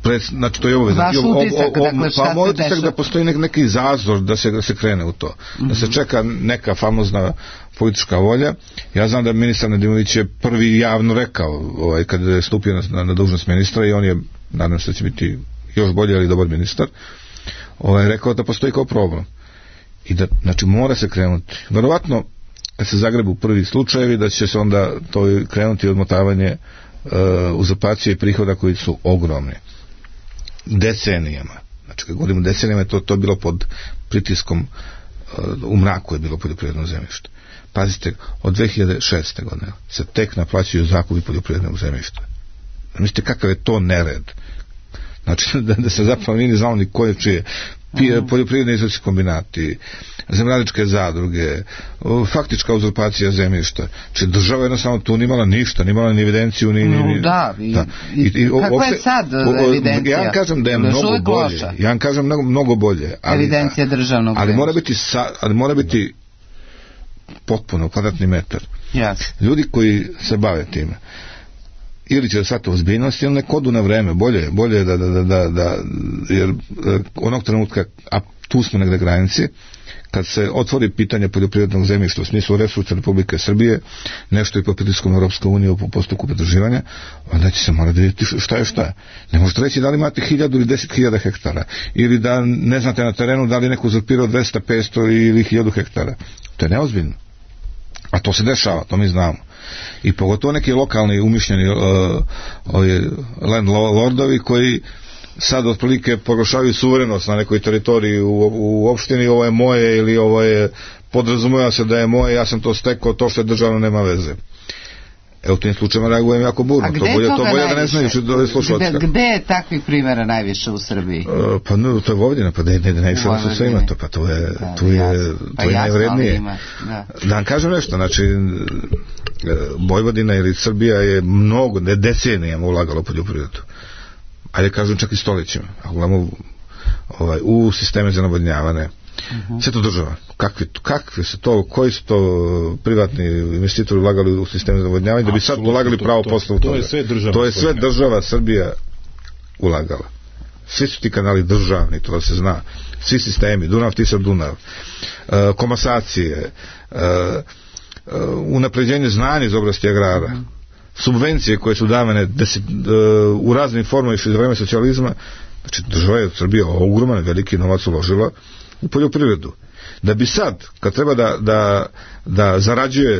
Speaker 5: pred, znači to je obaveza.
Speaker 3: Vaš utisak, dakle, šta
Speaker 5: pa, se utisak deša? Da postoji nek, neki zazor da se, da se krene u to. Mm-hmm. Da se čeka neka famozna politička volja. Ja znam da ministar Nedimović je prvi javno rekao, ovaj, kad je stupio na, na, na dužnost ministra, i on je, nadam se da će biti još bolji, ali dobar ministar, ovaj, rekao da postoji kao problem. I da, znači, mora se krenuti. Verovatno, kad se zagrebu prvi slučajevi, da će se onda to krenuti odmotavanje uh, uzurpacije i prihoda koji su ogromni. Decenijama. Znači, kad govorimo decenijama, to, to je bilo pod pritiskom, uh, u mraku je bilo poljoprivredno zemljište. Pazite, od dve hiljade šeste. godine se tek naplaćuju zakupi poljoprivrednog zemljišta. Mislite kakav je to nered? Znači, da, da se zapravo nije znalo ni koje čije. Poljoprivredni izvođački kombinati, zemljoradničke zadruge, faktička uzurpacija zemljišta. Znači, država jednostavno tu nimala ništa, nimala ni evidenciju, ni... ni, ni
Speaker 3: da, i, da. I, i, kakva opšte, je sad evidencija?
Speaker 5: Ja vam kažem da je mnogo bolje. Loša. Ja vam kažem mnogo, mnogo bolje. Ali,
Speaker 3: evidencija državnog
Speaker 5: ali mora biti, sa, ali mora biti potpuno kvadratni metar.
Speaker 3: Yes.
Speaker 5: Ljudi koji se bave time, ili će da shvate ozbiljnost, ili nek odu na vreme, bolje, bolje da, da, da, da, da jer onog trenutka, a tu smo negde granici, kad se otvori pitanje poljoprivrednog zemljišta u smislu resursa Republike Srbije, nešto i po pritiskom Europske unije u postupku pridruživanja, onda će se morati vidjeti šta je šta je. Ne možete reći da li imate hiljadu ili deset hiljada hektara, ili da ne znate na terenu da li neko uzurpirao dvesta, petsto ili hiljadu hektara. To je neozbiljno. A to se dešava, to mi znamo. I pogotovo neki lokalni umišljeni uh, landlordovi koji sad otprilike proglašavaju suverenost na nekoj teritoriji u, u opštini, ovo je moje ili ovo je, podrazumeva se da je moje, ja sam to stekao, to što je državno nema veze. Evo, u tim slučajima reagujem jako burno. To bolje, to bolje da ne znaju što dole slušalca.
Speaker 3: Gde, gde je takvih primjera najviše u Srbiji?
Speaker 5: Uh, pa no, to je Vojvodina, pa ne, ne, ne, najviše vas sve ima to, pa to je, da, tu je, pa to je najvrednije. Da. da vam kažem nešto, znači, Vojvodina ili Srbija je mnogo, ne decenijama ulagala u poljoprivredu. Ajde kažem čak i stoljećima. Ako gledamo ovaj, u sisteme za navodnjavane, Uh-huh. sve to država. Kakvi, kakvi su to, koji su to privatni investitori ulagali u sisteme za navodnjavanje da bi sad ulagali pravo posle u toga.
Speaker 6: To je sve država.
Speaker 5: To je sve država Srbija ulagala. Svi su ti kanali državni, to da se zna. Svi sistemi, Dunav, Tisa, Dunav. Uh, komasacije, uh, uh, unapređenje znanja iz oblasti agrara. Uh-huh. Subvencije koje su davane deset, uh, u raznim formama iz vremena socijalizma. Znači država je Srbija ogroman, veliki novac uložila u poljoprivredu. Da bi sad, kad treba da, da, da zarađuje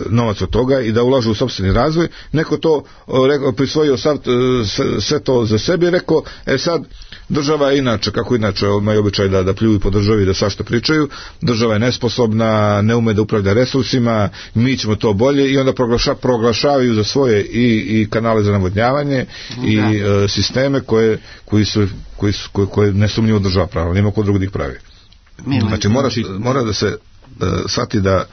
Speaker 5: novac od toga i da ulaže u sopstveni razvoj, neko to rekao, prisvojio sad, sve, sve to za sebe i rekao, e sad, država je inače, kako inače imaju običaj da, da pljuju po državi, da svašta pričaju, država je nesposobna, ne ume da upravlja resursima, mi ćemo to bolje i onda proglaša, proglašavaju za svoje i, i kanale za navodnjavanje da. i e, sisteme koje, koji su, koji su, koje, koje nesumnjivo država pravila, nema ko drugo da ih pravi. Znači mora, mora da se da shvati da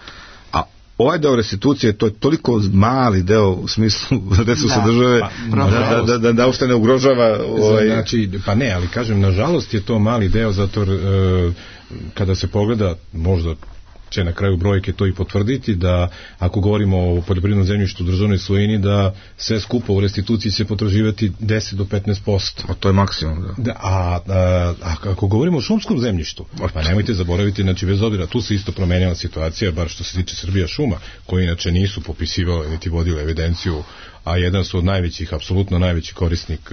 Speaker 5: a ovaj deo restitucije to je toliko mali deo u smislu resursa da, države pa, da, da, da, da uopšte ne ugrožava ovaj...
Speaker 6: znači, pa ne, ali kažem nažalost je to mali deo zato e, kada se pogleda možda će na kraju brojke to i potvrditi da ako govorimo o poljoprivrednom zemljištu u državnoj svojini da sve skupo u restituciji će potraživati deset do petnaest posto.
Speaker 5: A to je maksimum, da.
Speaker 6: da a, a, a ako govorimo o šumskom zemljištu, pa nemojte zaboraviti, znači bez obzira, tu se isto promenjala situacija, bar što se tiče Srbija šuma, koji inače nisu popisivale niti vodile evidenciju, a jedan su od najvećih, apsolutno najveći korisnik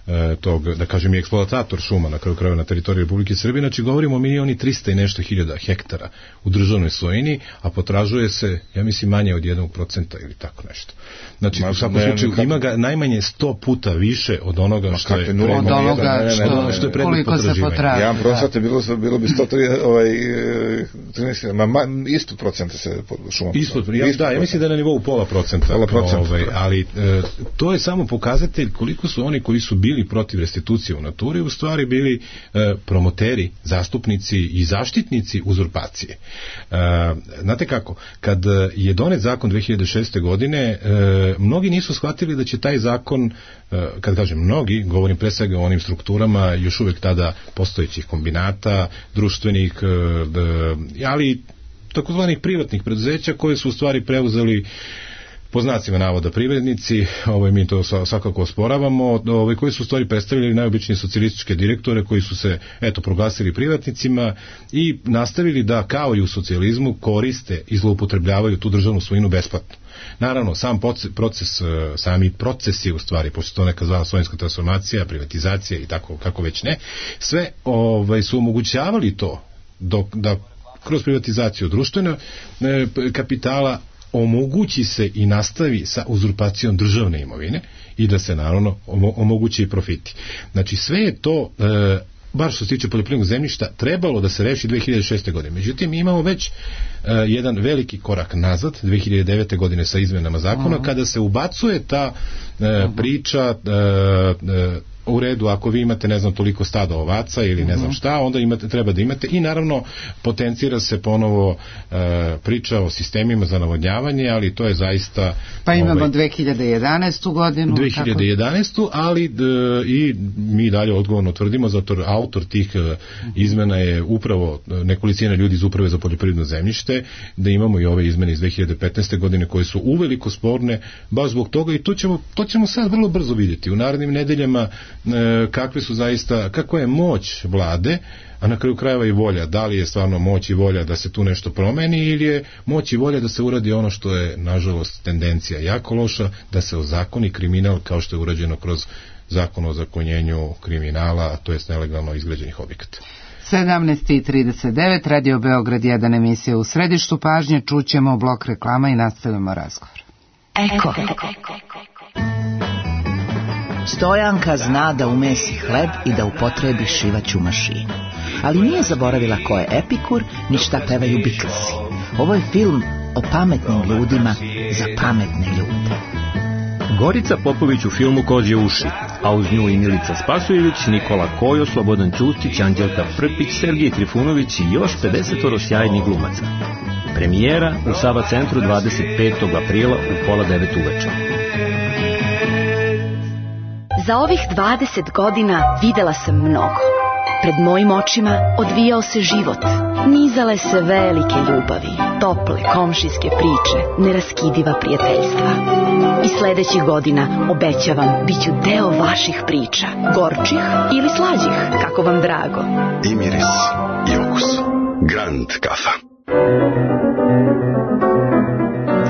Speaker 6: e, tog, da kažem i eksploatator šuma na kraju krajeva na teritoriji Republike Srbije, znači govorimo o milioni trista i nešto hiljada hektara u državnoj svojini, a potražuje se, ja mislim, manje od jednog procenta ili tako nešto. Znači, Ma, u svakom ne, slučaju, ima ga najmanje sto puta više od onoga Ma, što je
Speaker 3: od onoga što, ne, ne, ne, što je predmet potraživanja.
Speaker 5: Jedan procent bilo, bilo bi sto tri, ovaj, trinaest, ma, ma, isto procenta se šuma.
Speaker 6: Ispod, ja, da, ja mislim da je na nivou pola procenta.
Speaker 5: Pola procenta.
Speaker 6: Ovaj, ali e, to je samo pokazatelj koliko su oni koji su bili protiv restitucije u naturi u stvari bili e, promoteri, zastupnici i zaštitnici uzurpacije. E, znate kako, kad je donet zakon dve hiljade šeste. godine, e, mnogi nisu shvatili da će taj zakon, e, kad kažem mnogi, govorim pre svega o onim strukturama još uvek tada postojećih kombinata, društvenih, e, ali takozvanih privatnih preduzeća koje su u stvari preuzeli po znacima navoda privrednici, ovaj, mi to svakako osporavamo, ovaj, koji su u stvari predstavili najobičnije socijalističke direktore koji su se, eto, proglasili privatnicima i nastavili da, kao i u socijalizmu, koriste i zloupotrebljavaju tu državnu svojinu besplatno. Naravno, sam proces, sami proces je u stvari, pošto to neka zvala svojinska transformacija, privatizacija i tako, kako već ne, sve ovaj, su omogućavali to dok, da kroz privatizaciju društvenog e, kapitala omogući se i nastavi sa uzurpacijom državne imovine i da se naravno omogući i profiti. Znači sve je to, e, bar što se tiče poljoprivrednog zemljišta, trebalo da se reši dve hiljade šeste. godine. Međutim, mi imamo već e, jedan veliki korak nazad, dve hiljade devete. godine sa izmenama zakona, uh-huh. kada se ubacuje ta e, uh-huh. priča e, e, u redu, ako vi imate, ne znam, toliko stada ovaca ili ne znam šta, onda imate, treba da imate i naravno potencira se ponovo e, priča o sistemima za navodnjavanje, ali to je zaista...
Speaker 3: Pa imamo ovaj, dve hiljade jedanaestu. godinu.
Speaker 6: dve hiljade jedanaestu. ali d, i mi dalje odgovorno tvrdimo, zato autor tih e, izmena je upravo nekolicina ljudi iz Uprave za poljoprivredno zemljište, da imamo i ove izmene iz dve hiljade petnaeste. godine koje su uveliko sporne, baš zbog toga i to ćemo, to ćemo sad vrlo brzo vidjeti. U narednim nedeljama kakve su zaista, kakva je moć vlade, a na kraju krajeva i volja, da li je stvarno moć i volja da se tu nešto promeni ili je moć i volja da se uradi ono što je nažalost tendencija jako loša, da se ozakoni kriminal kao što je urađeno kroz zakon o zakonjenju kriminala, a to je nelegalno izgrađenih objekata.
Speaker 3: sedamnaest i trideset devet, Radio Beograd jedan, emisija u središtu pažnje, čućemo blok reklama i nastavljamo razgovor.
Speaker 1: Eko. Eko.
Speaker 7: Stojanka zna da umesi hleb i da upotrebi šivaću mašinu. Ali nije zaboravila ko je Epikur, ni šta pevaju Beatlesi. Ovo je film o pametnim ljudima za pametne ljude.
Speaker 8: Gorica Popović u filmu Kozje uši, a uz nju i Milica Spasojević, Nikola Kojo, Slobodan Ćustić, Anđelka Prpić, Sergij Trifunović i još pedesetoro sjajnih glumaca. Premijera u Sava centru dvadeset petog aprila u pola devet uveče.
Speaker 9: Za ovih dvadeset godina videla sam mnogo. Pred mojim očima odvijao se život. Nizale se velike ljubavi, tople komšijske priče, neraskidiva prijateljstva. I sledećih godina, obećavam, bit ću deo vaših priča, gorčih ili slađih, kako vam drago.
Speaker 10: I miris, i okus. Grand kafa.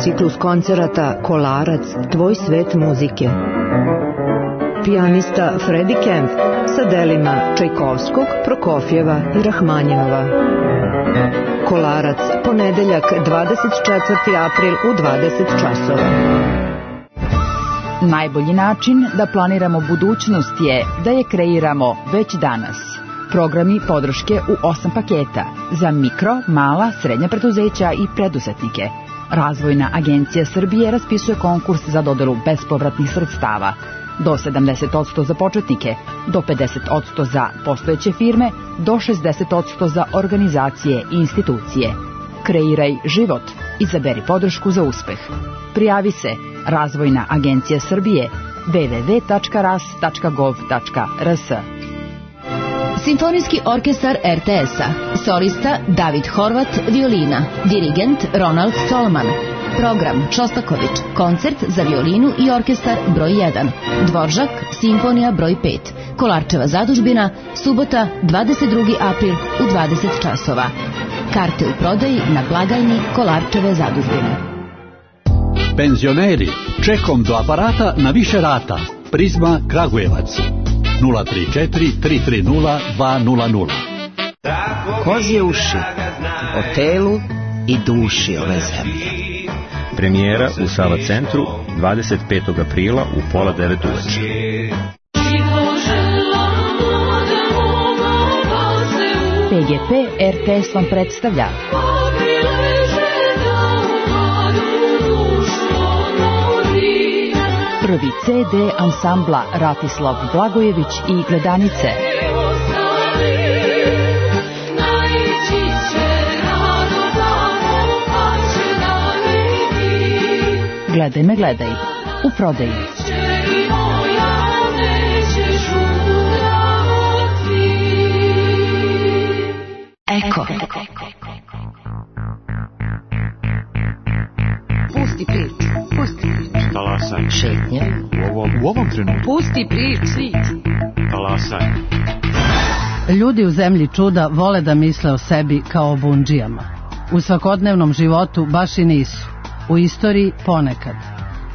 Speaker 1: Ciklus koncerata Kolarac, tvoj svet muzike. Pijanista Freddie Kempf sa delima Čajkovskog, Prokofjeva i Rahmanjinova. Kolarac, ponedeljak dvadeset četvrti april u dvadeset časova.
Speaker 11: Najbolji način da planiramo budućnost je da je kreiramo već danas. Programi podrške u osam paketa za mikro, mala, srednja preduzeća i preduzetnike. Razvojna agencija Srbije raspisuje konkurs za dodelu bespovratnih sredstava. Do sedamdeset posto za početnike, do pedeset posto za postojeće firme, do šezdeset posto za organizacije i institucije. Kreiraj život. Izaberi podršku za uspeh. Prijavi se Razvojna agencija Srbije w w w tačka ras tačka gov tačka r s.
Speaker 9: Simfonijski orkestar er te es-a. Solista David Horvat, violina. Dirigent Ronald Solman. Program Šostaković, koncert za violinu i orkestar broj jedan. Dvoržak, simfonija broj pet. Kolarčeva zadužbina, subota dvadeset drugi april u dvadeset časova. Karte u prodaji na blagajni Kolarčeve zadužbine.
Speaker 12: Penzioneri, čekom do aparata na više rata. Prizma Kragujevac. nula tri četiri tri tri nula dva nula nula.
Speaker 7: Kozje uši, o telu i duši ove zemlje.
Speaker 8: Premijera u Sava centru dvadeset petog aprila u pola devet uveče.
Speaker 11: P G P er te es vam predstavlja prvi ce de ansambla Ratislav Blagojević i Gledanice. Gledaj me, gledaj. U prodaji.
Speaker 9: Eko.
Speaker 1: Pusti priču. Pusti priču.
Speaker 8: Talasaj.
Speaker 1: Šetnje.
Speaker 8: U ovom, u ovom trenutku.
Speaker 1: Pusti priču.
Speaker 8: Talasaj.
Speaker 13: Ljudi u zemlji čuda vole da misle o sebi kao o bundžijama. U svakodnevnom životu baš i nisu. U istoriji ponekad.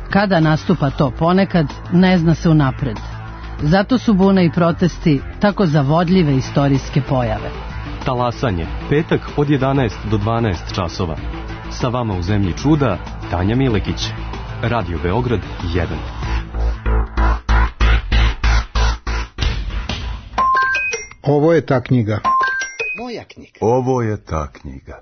Speaker 13: Kada nastupa to ponekad, ne zna se unapred. Zato su bune i protesti tako zavodljive istorijske pojave.
Speaker 14: Talasanje, petak od jedanaest do dvanaest časova. Sa vama u zemlji čuda, Tanja Milekić. Radio Beograd jedan.
Speaker 15: Ovo je ta knjiga.
Speaker 7: Moja knjiga.
Speaker 10: Ovo je ta knjiga.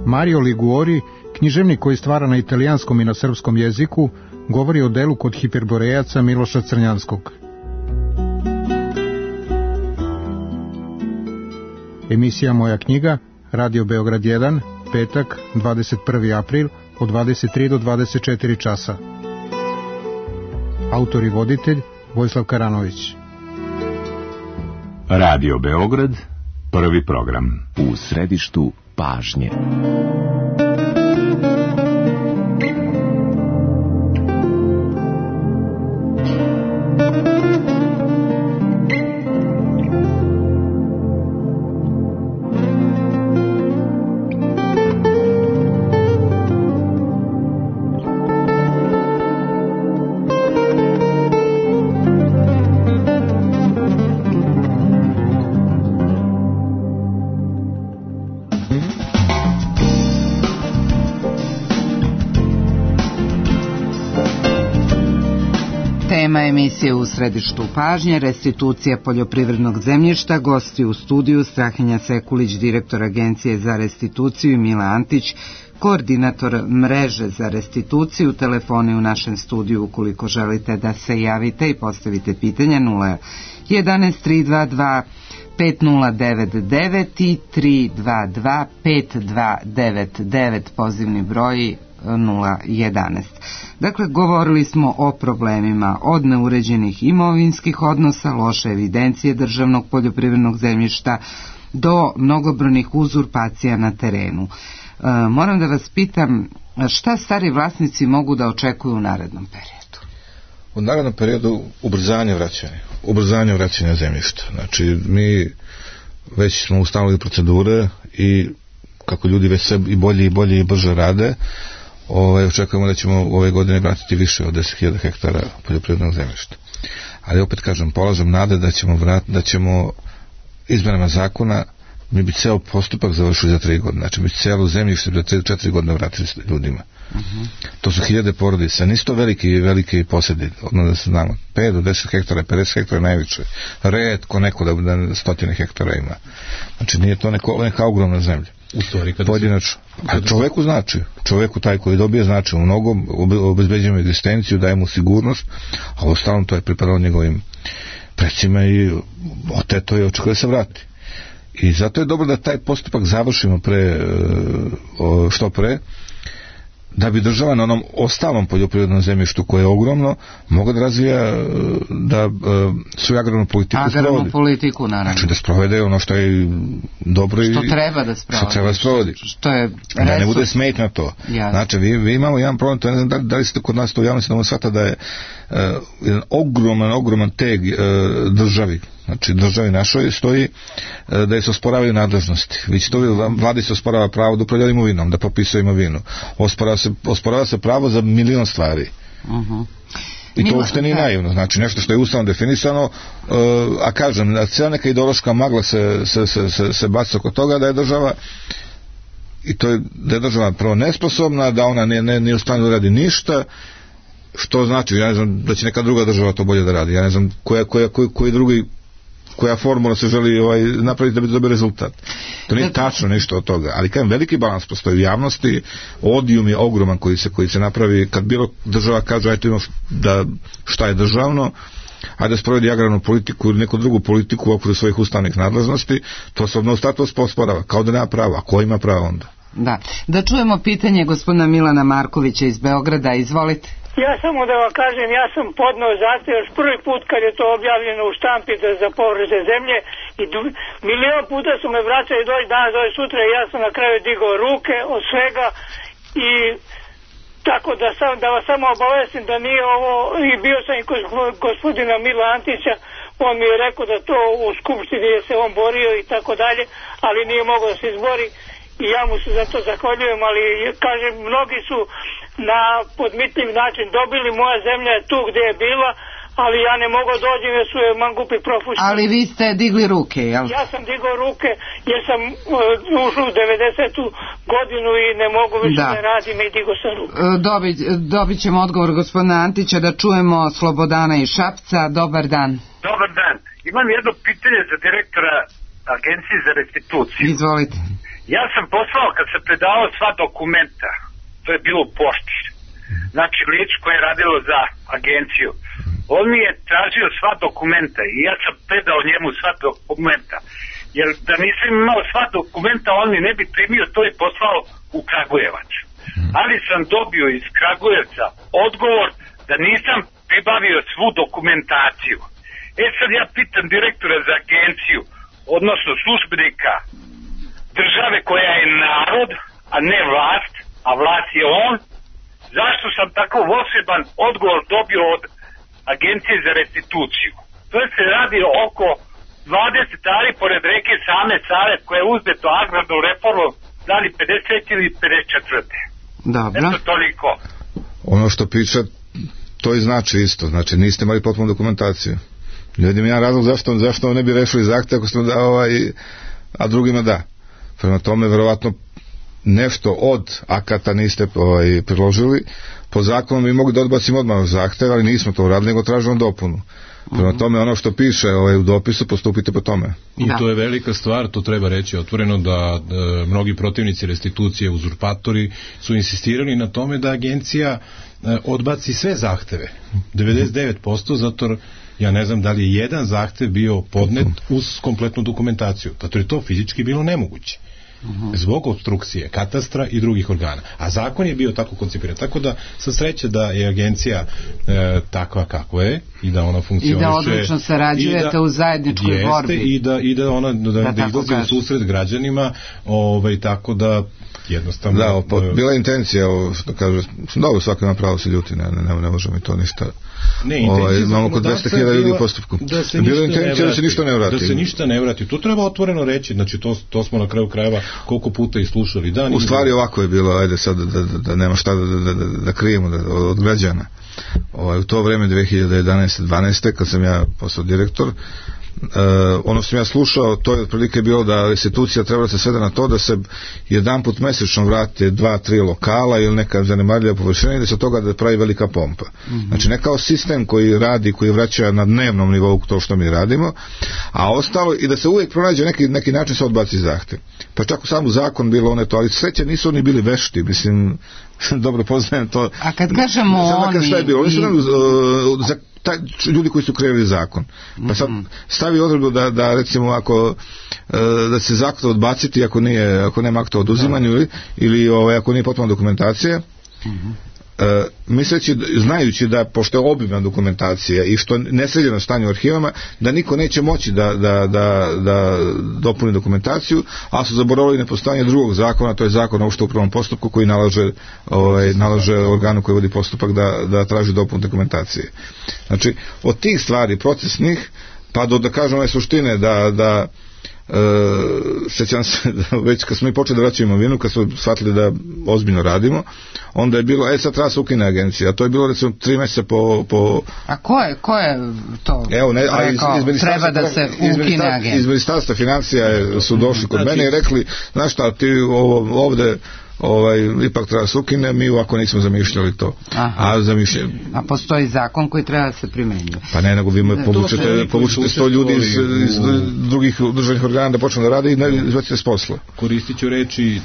Speaker 15: Mario Liguori, književnik koji stvara na italijanskom i na srpskom jeziku, govori o delu kod hiperborejaca Miloša Crnjanskog. Emisija Moja knjiga, Radio Beograd jedan, petak, dvadeset prvi april, od dvadeset tri do dvadeset četiri časa. Autor i voditelj Vojislav Karanović.
Speaker 16: Radio Beograd, prvi program. U središtu pažnje.
Speaker 3: Tema emisije U središtu pažnje, restitucija poljoprivrednog zemljišta. Gosti u studiju Strahinja Sekulić, direktor Agencije za restituciju, i Mila Antić, koordinator mreže za restituciju. Telefoni u našem studiju ukoliko želite da se javite i postavite pitanja: nula jedanaest tri dva dva pet nula devet devet i tri dva dva pet dva devet devet, pozivni broj nula jedanaest. Dakle, govorili smo o problemima od neuređenih imovinskih odnosa, loše evidencije državnog poljoprivrednog zemljišta do mnogobrojnih uzurpacija na terenu. E, moram da vas pitam, šta stari vlasnici mogu da očekuju u narednom periodu?
Speaker 5: U narednom periodu ubrzanje vraćanja, ubrzanje vraćanja zemljišta. Znači, mi već smo ustanovili procedure i kako ljudi već sve i bolje i bolje i brže rade, Ove, očekujemo da ćemo ove godine vratiti više od deset hiljada hektara poljoprivrednog zemljišta. Ali opet kažem, polažem nade da ćemo, vrat, da ćemo izmenama zakona mi bi ceo postupak završili za tri godine. Znači, mi celo zemljište za četiri godine vratili ljudima. Uh-huh. To su hiljade porodica, nisu to veliki, veliki posjedi, odmah da se znamo, pet do deset hektara, pedeset hektara najviše, retko neko da, da stotine hektara ima. Znači, nije to neko, neka ogromna zemlja.
Speaker 6: U stvari, kada
Speaker 5: pojedinačno. A čoveku znači, čoveku taj koji dobije znači u mnogom, obezbeđujemo egzistenciju, daje mu sigurnost, a u ostalom to je pripadalo njegovim precima i oteto je očekuje da se vrati. I zato je dobro da taj postupak završimo pre, što pre, da bi država na onom ostalom poljoprivrednom zemljištu koje je ogromno mogla da razvija, da svoju agrarnu politiku
Speaker 3: agrarnu
Speaker 5: sprovodi.
Speaker 3: politiku, naravno.
Speaker 5: Znači da sprovede ono što je dobro i
Speaker 3: što treba da sprovodi.
Speaker 5: Što treba da sprovodi.
Speaker 3: Što je
Speaker 5: da ne bude smetnja to. Ja. Znači, vi, vi imamo jedan problem, to ne znam da, da li ste kod nas to u javnosti da shvata da je uh, jedan ogroman, ogroman teg uh, državi, znači državi našoj stoji uh, da je se osporavaju nadležnosti. Vi će to, vladi se osporava pravo da upravlja imovinom, da popisuje imovinu. Osporava se, osporava se pravo za milion stvari.
Speaker 3: Uh-huh.
Speaker 5: I to uopšte nije naivno, znači nešto što je ustavno definisano, uh, a kažem, cijela neka ideološka magla se, se, se, se, se baca oko toga da je država, i to je, da je država prvo nesposobna, da ona nije, nije, nije u stanju da radi ništa, što znači, ja ne znam da će neka druga država to bolje da radi, ja ne znam koja, koja, koji, koji drugi, koja formula se želi ovaj, napraviti da bi dobio rezultat. To nije tačno ništa od toga, ali kajem, veliki balans postoji u javnosti, odijum je ogroman koji se, koji se napravi kad bilo država kaže ajte imamo da šta je državno, ajde da sprovedi agrarnu politiku ili neku drugu politiku u okviru svojih ustavnih nadležnosti, to se odnosno status posporava, kao da nema prava, a ko ima pravo onda?
Speaker 3: Da, da čujemo pitanje gospodina Milana Markovića iz Beograda, izvolite.
Speaker 17: Ja samo da vam kažem, ja sam podneo zahtev još prvi put kad je to objavljeno u štampi da za povrede zemlje i du- milion puta su me vraćali, doći danas, doći sutra, i ja sam na kraju digao ruke od svega i tako da sam, da vas samo obavestim da nije ovo, i bio sam i kod gospodina Mila Antića, on mi je rekao da to u skupštini je se on borio i tako dalje, ali nije mogao da se izbori i ja mu se za to zahvaljujem, ali kažem, mnogi su na podmitljiv način dobili, moja zemlja je tu gdje je bila, ali ja ne mogu dođem jer su je mangupi profušili.
Speaker 3: Ali vi ste digli ruke, jel?
Speaker 17: Ja sam digao ruke jer sam uh, ušao u devedesetu godinu i ne mogu više da, da radim i digao sam ruke.
Speaker 3: Dobi, dobit ćemo odgovor gospodina Antića, da čujemo Slobodana iz Šapca. Dobar dan.
Speaker 18: Dobar dan. Imam jedno pitanje za direktora Agencije za restituciju.
Speaker 3: Izvolite.
Speaker 18: Ja sam poslao kad sam predavao sva dokumenta, to je bilo u pošti, znači lič koje je radilo za agenciju, on mi je tražio sva dokumenta i ja sam predao njemu sva dokumenta, jer da nisam imao sva dokumenta on mi ne bi primio, to je poslao u Kragujevac, ali sam dobio iz Kragujevca odgovor da nisam pribavio svu dokumentaciju. E sad ja pitam direktora za agenciju, odnosno službenika države koja je narod, a ne vlast, a vlast je on, zašto sam tako poseban odgovor dobio od Agencije za restituciju? To se radi oko dvadeset ari pored reke same Save koja je uzdeto agrarnu reformu da li pedeset ili pedeset četiri.
Speaker 3: Dobro.
Speaker 18: Eto toliko.
Speaker 5: Ono što priča, to i znači isto, znači niste imali potpunu dokumentaciju. Ne vidim jedan razlog zašto, zašto ne bi rešili zahtev ako ste da, ovaj, a drugima da. Prema tome, verovatno, nešto od akata niste ovaj, priložili, po zakonu mi mogli da odbacimo odmah zahtev, ali nismo to uradili, nego tražimo dopunu. Prema tome, ono što piše ovaj, u dopisu, postupite po tome.
Speaker 6: I to je velika stvar, to treba reći otvoreno, da, da mnogi protivnici restitucije, uzurpatori su insistirali na tome da agencija e, odbaci sve zahteve, devedeset devet posto, zato ja ne znam da li je jedan zahtev bio podnet uz kompletnu dokumentaciju, zato je to fizički bilo nemoguće. Zbog obstrukcije katastra i drugih organa. A zakon je bio tako koncipiran. Tako da, sa sreće da je agencija e, takva kakva je i da ona funkcioniše.
Speaker 3: I da odlično sarađujete da, u zajedničkoj
Speaker 6: jeste,
Speaker 3: borbi.
Speaker 6: I da, i da ona da, da, da izlazi u susret građanima, ovaj, tako da jednostavno...
Speaker 5: Da, po, bila je intencija, ovo, što kaže, dobro, svako ima pravo se ljuti, ne, ne, ne možemo i to ništa.
Speaker 6: Ne,
Speaker 5: ovaj, imamo oko dvesta hiljada ljudi u postupku.
Speaker 6: Da se
Speaker 5: bila intencija da se ništa ne vrati.
Speaker 6: Da se ništa ne vrati. To treba otvoreno reći, znači to, to smo na kraju krajeva koliko puta i slušali. Da,
Speaker 5: u stvari ovako je bilo, ajde sad da, da, da, da nema šta da, da, da, da krijemo da, od građana. Ovaj, u to vreme dve hiljade jedanaeste dvanaeste kad sam ja postao direktor, Uh, ono što sam ja slušao, to je otprilike bilo da restitucija treba da se svede na to da se jedan put mesečno vrate dva, tri lokala ili neka zanemarljiva površina i da se od toga da pravi velika pompa. Mm-hmm. Znači ne kao sistem koji radi, koji vraća na dnevnom nivou to što mi radimo, a ostalo i da se uvijek pronađe neki, neki način se odbaci zahtev. Pa čak u samu zakon bilo one to, ali sreće nisu oni bili vešti, mislim, dobro poznajem to.
Speaker 3: A kad kažemo oni...
Speaker 5: Šta je bilo? Oni su nam, uh, za taj, ljudi koji su kreirali zakon. Pa sad stavi odredbu da, da recimo ako da se zakon odbaciti ako nije, ako nema akta o oduzimanju ili, ili ovaj, ako nije potpuna dokumentacija. Mm-hmm. Uh, misleći, znajući da pošto je obimna dokumentacija i što nesređeno stanje u arhivama, da niko neće moći da, da, da, da dopuni dokumentaciju, a su zaboravili nepostojanje drugog zakona, to je zakon o opštem upravnom postupku koji nalaže, ovaj, nalaže organu koji vodi postupak da, da traži dopunu dokumentacije. Znači, od tih stvari procesnih, pa do da kažem ove suštine da, da Uh, sjećam se da već kad smo mi počeli da vraćamo imovinu, kad smo shvatili da ozbiljno radimo, onda je bilo, e sad treba se ukine agencija, a to je bilo recimo tri mjeseca po, po...
Speaker 3: A ko je, ko je to
Speaker 5: Evo, ne, a iz, iz
Speaker 3: treba da se ukine agencija?
Speaker 5: Iz ministarstva financija su došli kod mene i rekli, znaš šta, ti ovo, ovde ovaj, ipak treba se ukine, mi ovako nismo zamišljali to. A, zamišljali...
Speaker 3: a postoji zakon koji treba da se primenjuje.
Speaker 5: Pa ne, nego vi me povučete, povučete sto ljudi iz, iz drugih državnih organa da počnu da rade i ne izvacite s posla.
Speaker 6: Koristit ću reči e,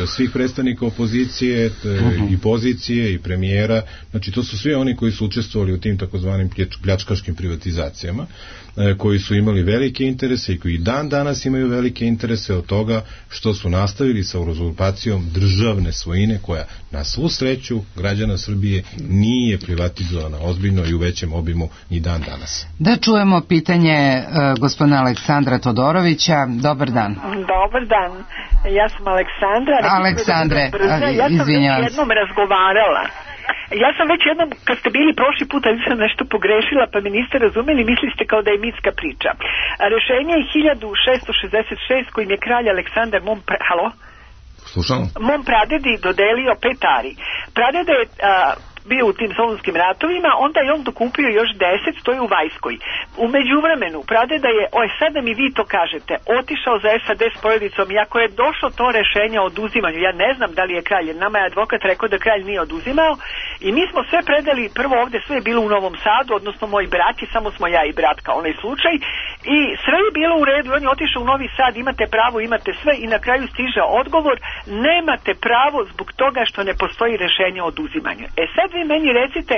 Speaker 6: svih predstavnika opozicije e, uh-huh. i pozicije i premijera, znači to su svi oni koji su učestvovali u tim takozvanim pljačkaškim privatizacijama, e, koji su imali velike interese i koji dan danas imaju velike interese od toga što su nastavili sa uzurpacijom državne svojine koja na svu sreću građana Srbije nije privatizovana ozbiljno i u većem obimu ni dan danas.
Speaker 3: Da čujemo pitanje uh, gospodina Aleksandra Todorovića. Dobar dan.
Speaker 19: Dobar dan. Ja sam Aleksandra.
Speaker 3: Aleksandre,
Speaker 19: ja sam već jednom razgovarala. Ja sam već jednom, kad ste bili prošli put, ali sam nešto pogrešila, pa mi niste razumeli, mislili ste kao da je mitska priča. A rešenje je hiljadu šeststo šezdeset šest kojim je kralj Aleksandar mom... Pre... Halo?
Speaker 5: Slušamo.
Speaker 19: Mom pradedi dodelio pet ari. Pradeda je a, bio u tim solunskim ratovima, onda je on dokupio još deset, stoji u Vajskoj. U međuvremenu, pradeda je, oj sad da mi vi to kažete, otišao za S A D s porodicom i ako je došlo to rešenje o oduzimanju, ja ne znam da li je kralj, nama je advokat rekao da kralj nije oduzimao i mi smo sve predali, prvo ovde sve je bilo u Novom Sadu, odnosno moj brat i samo smo ja i brat kao onaj slučaj i sve je bilo u redu, on je otišao u Novi Sad, imate pravo, imate sve i na kraju stiže odgovor, nemate pravo zbog toga što ne postoji rešenje o oduzimanju. E sad vi meni recite,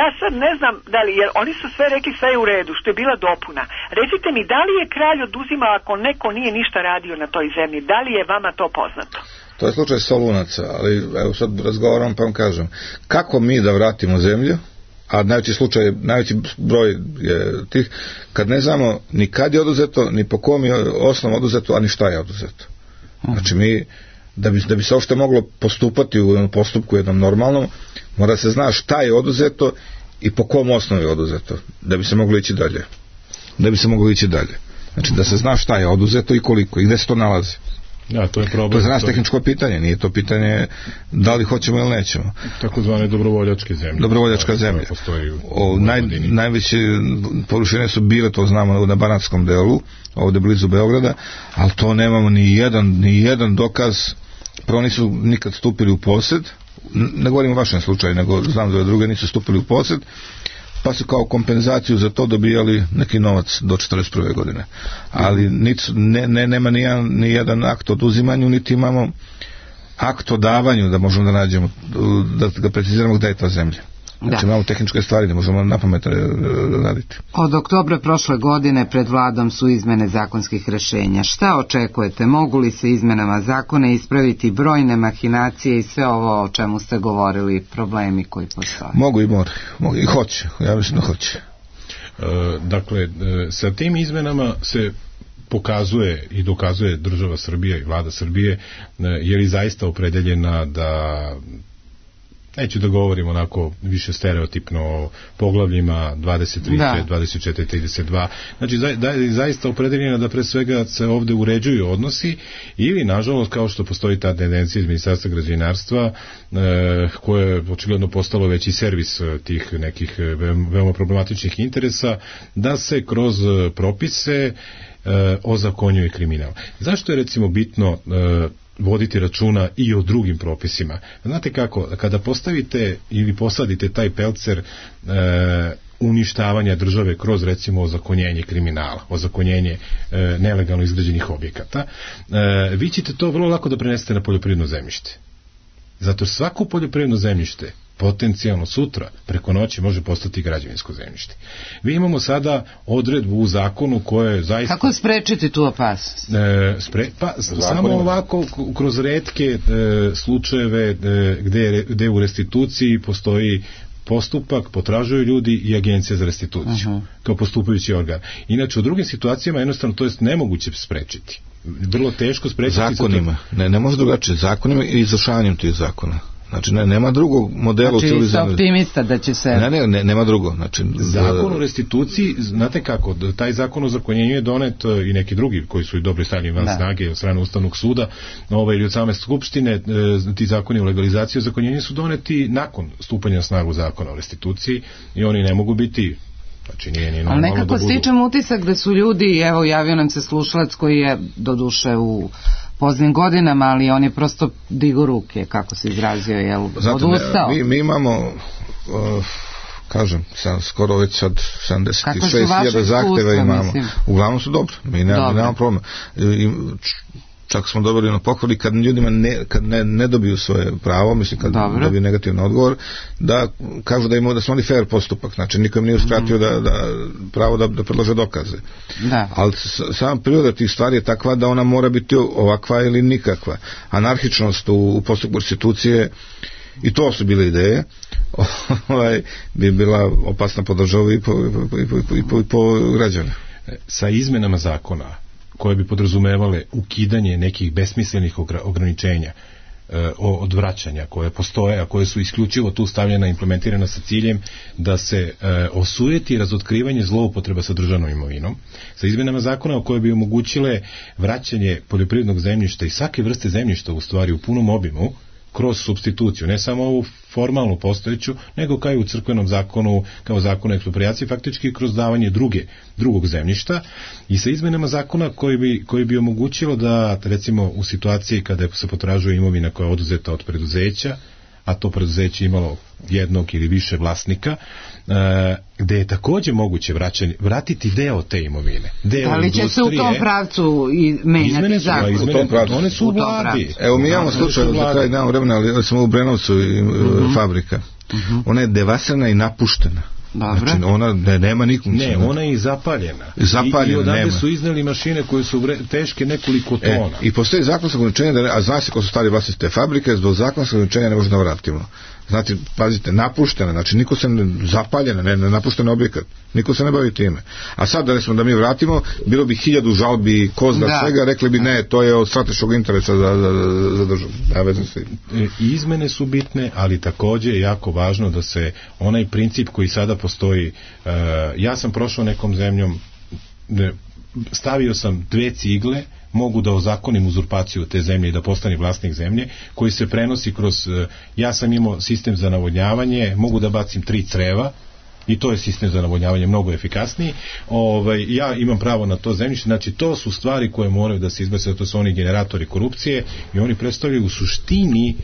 Speaker 19: ja sad ne znam da li, jer oni su sve rekli sve je u redu, što je bila dopuna. Recite mi, da li je kralj oduzimao ako neko nije ništa radio na toj zemlji? Da li je vama to poznato?
Speaker 5: To je slučaj Solunaca, ali evo sad razgovaram pa vam kažem. Kako mi da vratimo zemlju, a najveći slučaj, najveći broj je tih, kad ne znamo ni kad je oduzeto, ni po kom je osnovu oduzeto, a ni šta je oduzeto. Znači mi da bi, da bi se uopšte moglo postupati u jednom postupku jednom normalnom, mora se zna šta je oduzeto i po kom osnovu je oduzeto, da bi se moglo ići dalje. Da bi se moglo ići dalje. Znači da se zna šta je oduzeto i koliko i gde se to nalazi.
Speaker 6: Ja, to je problem.
Speaker 5: To je za nas tehničko pitanje, nije to pitanje da li hoćemo ili nećemo.
Speaker 6: Tako zvane dobrovoljačke zemlje.
Speaker 5: Dobrovoljačka zemlja. O, naj, najveće površine su bile, to znamo na Banatskom delu, ovde blizu Beograda, ali to nemamo ni jedan, ni jedan dokaz prvo nisu nikad stupili u posjed, ne govorim o vašem slučaju, nego znam da druge nisu stupili u posjed, pa su kao kompenzaciju za to dobijali neki novac do četrdeset prve godine. Ali nic, ne, ne, nema ni jedan, ni jedan akt o oduzimanju, niti imamo akt o davanju da možemo da nađemo, da ga preciziramo gdje je ta zemlja. Znači imamo tehničke stvari da možemo na pamet raditi.
Speaker 3: Od oktobra prošle godine pred vladom su izmene zakonskih rešenja. Šta očekujete? Mogu li se izmenama zakona ispraviti brojne mahinacije i sve ovo o čemu ste govorili, problemi koji postoje?
Speaker 5: Mogu i moraju, mogu i hoće, ja mislim da hoće.
Speaker 6: E, dakle, e, sa tim izmenama se pokazuje i dokazuje država Srbija i vlada Srbije e, je li zaista opredeljena da, neću da govorim onako više stereotipno o poglavljima dvadeset tri, dvadeset četiri, trideset dva, znači za, da je zaista opredeljena da pre svega se ovde uređuju odnosi ili nažalost kao što postoji ta tendencija iz Ministarstva građevinarstva e, koje je očigledno postalo već i servis tih nekih veoma problematičnih interesa da se kroz propise e, ozakonjuje kriminal. Zašto je recimo bitno e, voditi računa i o drugim propisima? Znate kako, kada postavite ili posadite taj pelcer e, uništavanja države kroz recimo ozakonjenje kriminala, ozakonjenje e, nelegalno izgrađenih objekata, e, vi ćete to vrlo lako da prenesete na poljoprivredno zemljište. Zato svako poljoprivredno zemljište potencijalno sutra, preko noći može postati građevinsko zemljište. Vi imamo sada odredbu u zakonu koje je zaista...
Speaker 3: Kako sprečiti tu opasnost?
Speaker 6: E, spre, pa, samo ovako, kroz retke e, slučajeve e, gde, gde u restituciji postoji postupak, potražuju ljudi i agencija za restituciju, uh-huh. kao postupajući organ. Inače, u drugim situacijama jednostavno to je nemoguće sprečiti. Vrlo teško sprečiti...
Speaker 5: Zakonima. Ne, ne može drugačije. Zakonima i izvršavanjem tih zakona. Znači, ne, nema drugog modela.
Speaker 3: Znači, ste optimista da će se...
Speaker 5: Ne, ne, ne, nema drugo. Znači,
Speaker 6: zakon o restituciji, znate kako, taj zakon o zakonjenju je donet i neki drugi koji su i dobro stavljeni van snage od strane Ustavnog suda, ovaj, ili od same Skupštine, ti zakoni o legalizaciji o zakonjenju su doneti nakon stupanja na snagu zakona o restituciji i oni ne mogu biti... Znači, nije, nije
Speaker 3: ali nekako
Speaker 6: da budu...
Speaker 3: stičem utisak da su ljudi, evo javio nam se slušalac koji je doduše u poznim godinama, ali on je prosto digo ruke, kako se izrazio, je odustao.
Speaker 5: Mi, mi imamo uh, kažem, sam, skoro već sad sedamdeset šest hiljada zahteva imamo. Mislim? Uglavnom su dobro, mi nemamo, nemamo problema. I, čak smo dobili na pohvali kad ljudima ne, kad ne, ne dobiju svoje pravo, mislim kad Dobro. dobiju negativan odgovor, da kažu da imaju da su oni fair postupak, znači nikom nije uskratio mm. da, da pravo da, da predlože dokaze. Da. Ali sama priroda tih stvari je takva da ona mora biti ovakva ili nikakva. Anarhičnost u, u postupku restitucije, i to su bile ideje, ovaj, bi bila opasna po državu i po, i po, i po, i po, i po građane.
Speaker 6: Sa izmenama zakona koje bi podrazumevale ukidanje nekih besmislenih ograničenja e, odvraćanja koje postoje, a koje su isključivo tu stavljena i implementirana sa ciljem da se e, osujeti razotkrivanje zloupotreba sa državnom imovinom, sa izmenama zakona koje bi omogućile vraćanje poljoprivrednog zemljišta i svake vrste zemljišta u stvari u punom obimu kroz supstituciju, ne samo ovu formalnu postojeću, nego kao i u crkvenom zakonu, kao zakonu eksproprijacije, faktički kroz davanje druge, drugog zemljišta i sa izmenama zakona koji bi, koji bi omogućilo da, recimo, u situaciji kada se potražuje imovina koja je oduzeta od preduzeća, a to preduzeće imalo jednog ili više vlasnika, e, gde je takođe moguće vraćanje, vratiti deo te imovine. Deo
Speaker 3: da li će se u tom pravcu i menjati zakon?
Speaker 6: Izmene, u tom pravcu. One su u vladi.
Speaker 5: Evo mi imamo slučaj, za kraj nemamo vremena, ali smo u Brenovcu i, uh-huh. fabrika. Uh-huh. Ona je devasirana i napuštena. Dobre. Znači ona ne, nema nikom.
Speaker 6: Ne, ona je i zapaljena.
Speaker 5: Zapaljena,
Speaker 6: I, i odavde
Speaker 5: nema.
Speaker 6: su izneli mašine koje su vre, teške nekoliko tona. E,
Speaker 5: I postoji zakonsko ograničenje, da ne, a zna se ko su stari vlasnici te fabrike, zbog zakonskog ograničenja ne može da vratimo. Znači, pazite, napuštena, znači niko se ne, zapaljena, ne, ne napuštena objekat, niko se ne bavi time. A sad da smo da mi vratimo, bilo bi hiljadu žalbi, kozda, da. svega, rekli bi ne, to je od strateškog interesa za, za, za državu. Ja vezam se.
Speaker 6: Izmene su bitne, ali takođe je jako važno da se onaj princip koji sada postoji, uh, ja sam prošao nekom zemljom, ne, stavio sam dve cigle, mogu da ozakonim uzurpaciju te zemlje i da postane vlasnik zemlje, koji se prenosi kroz, ja sam imao sistem za navodnjavanje, mogu da bacim tri creva, i to je sistem za navodnjavanje mnogo efikasniji. Ovaj, ja imam pravo na to zemljište, znači to su stvari koje moraju da se izbace, to su oni generatori korupcije i oni predstavljaju u suštini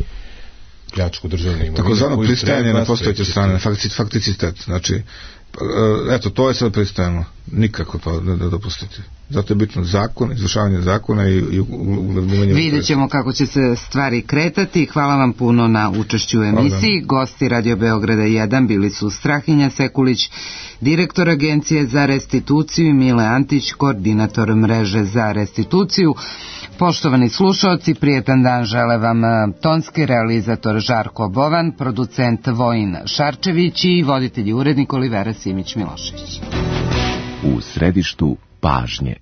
Speaker 6: pljačku državne imovine.
Speaker 5: Tako zvano pristajanje na postojeće strane, fakticitet, znači eto, to je sad pristajeno, nikako to ne da dopustiti. Zato je bitno zakon, izvršavanje zakona i, i uglavljivanje.
Speaker 3: Vidjet ćemo kako će se stvari kretati. Hvala vam puno na učešću u emisiji. Gosti Radio Beograda jedan bili su Strahinja Sekulić, direktor Agencije za restituciju, i Mile Antić, koordinator mreže za restituciju. Poštovani slušaoci, prijetan dan žele vam tonski realizator Žarko Bovan, producent Vojin Šarčević i voditelj i urednik Olivera Simić Milošević.
Speaker 16: U središtu pažnje.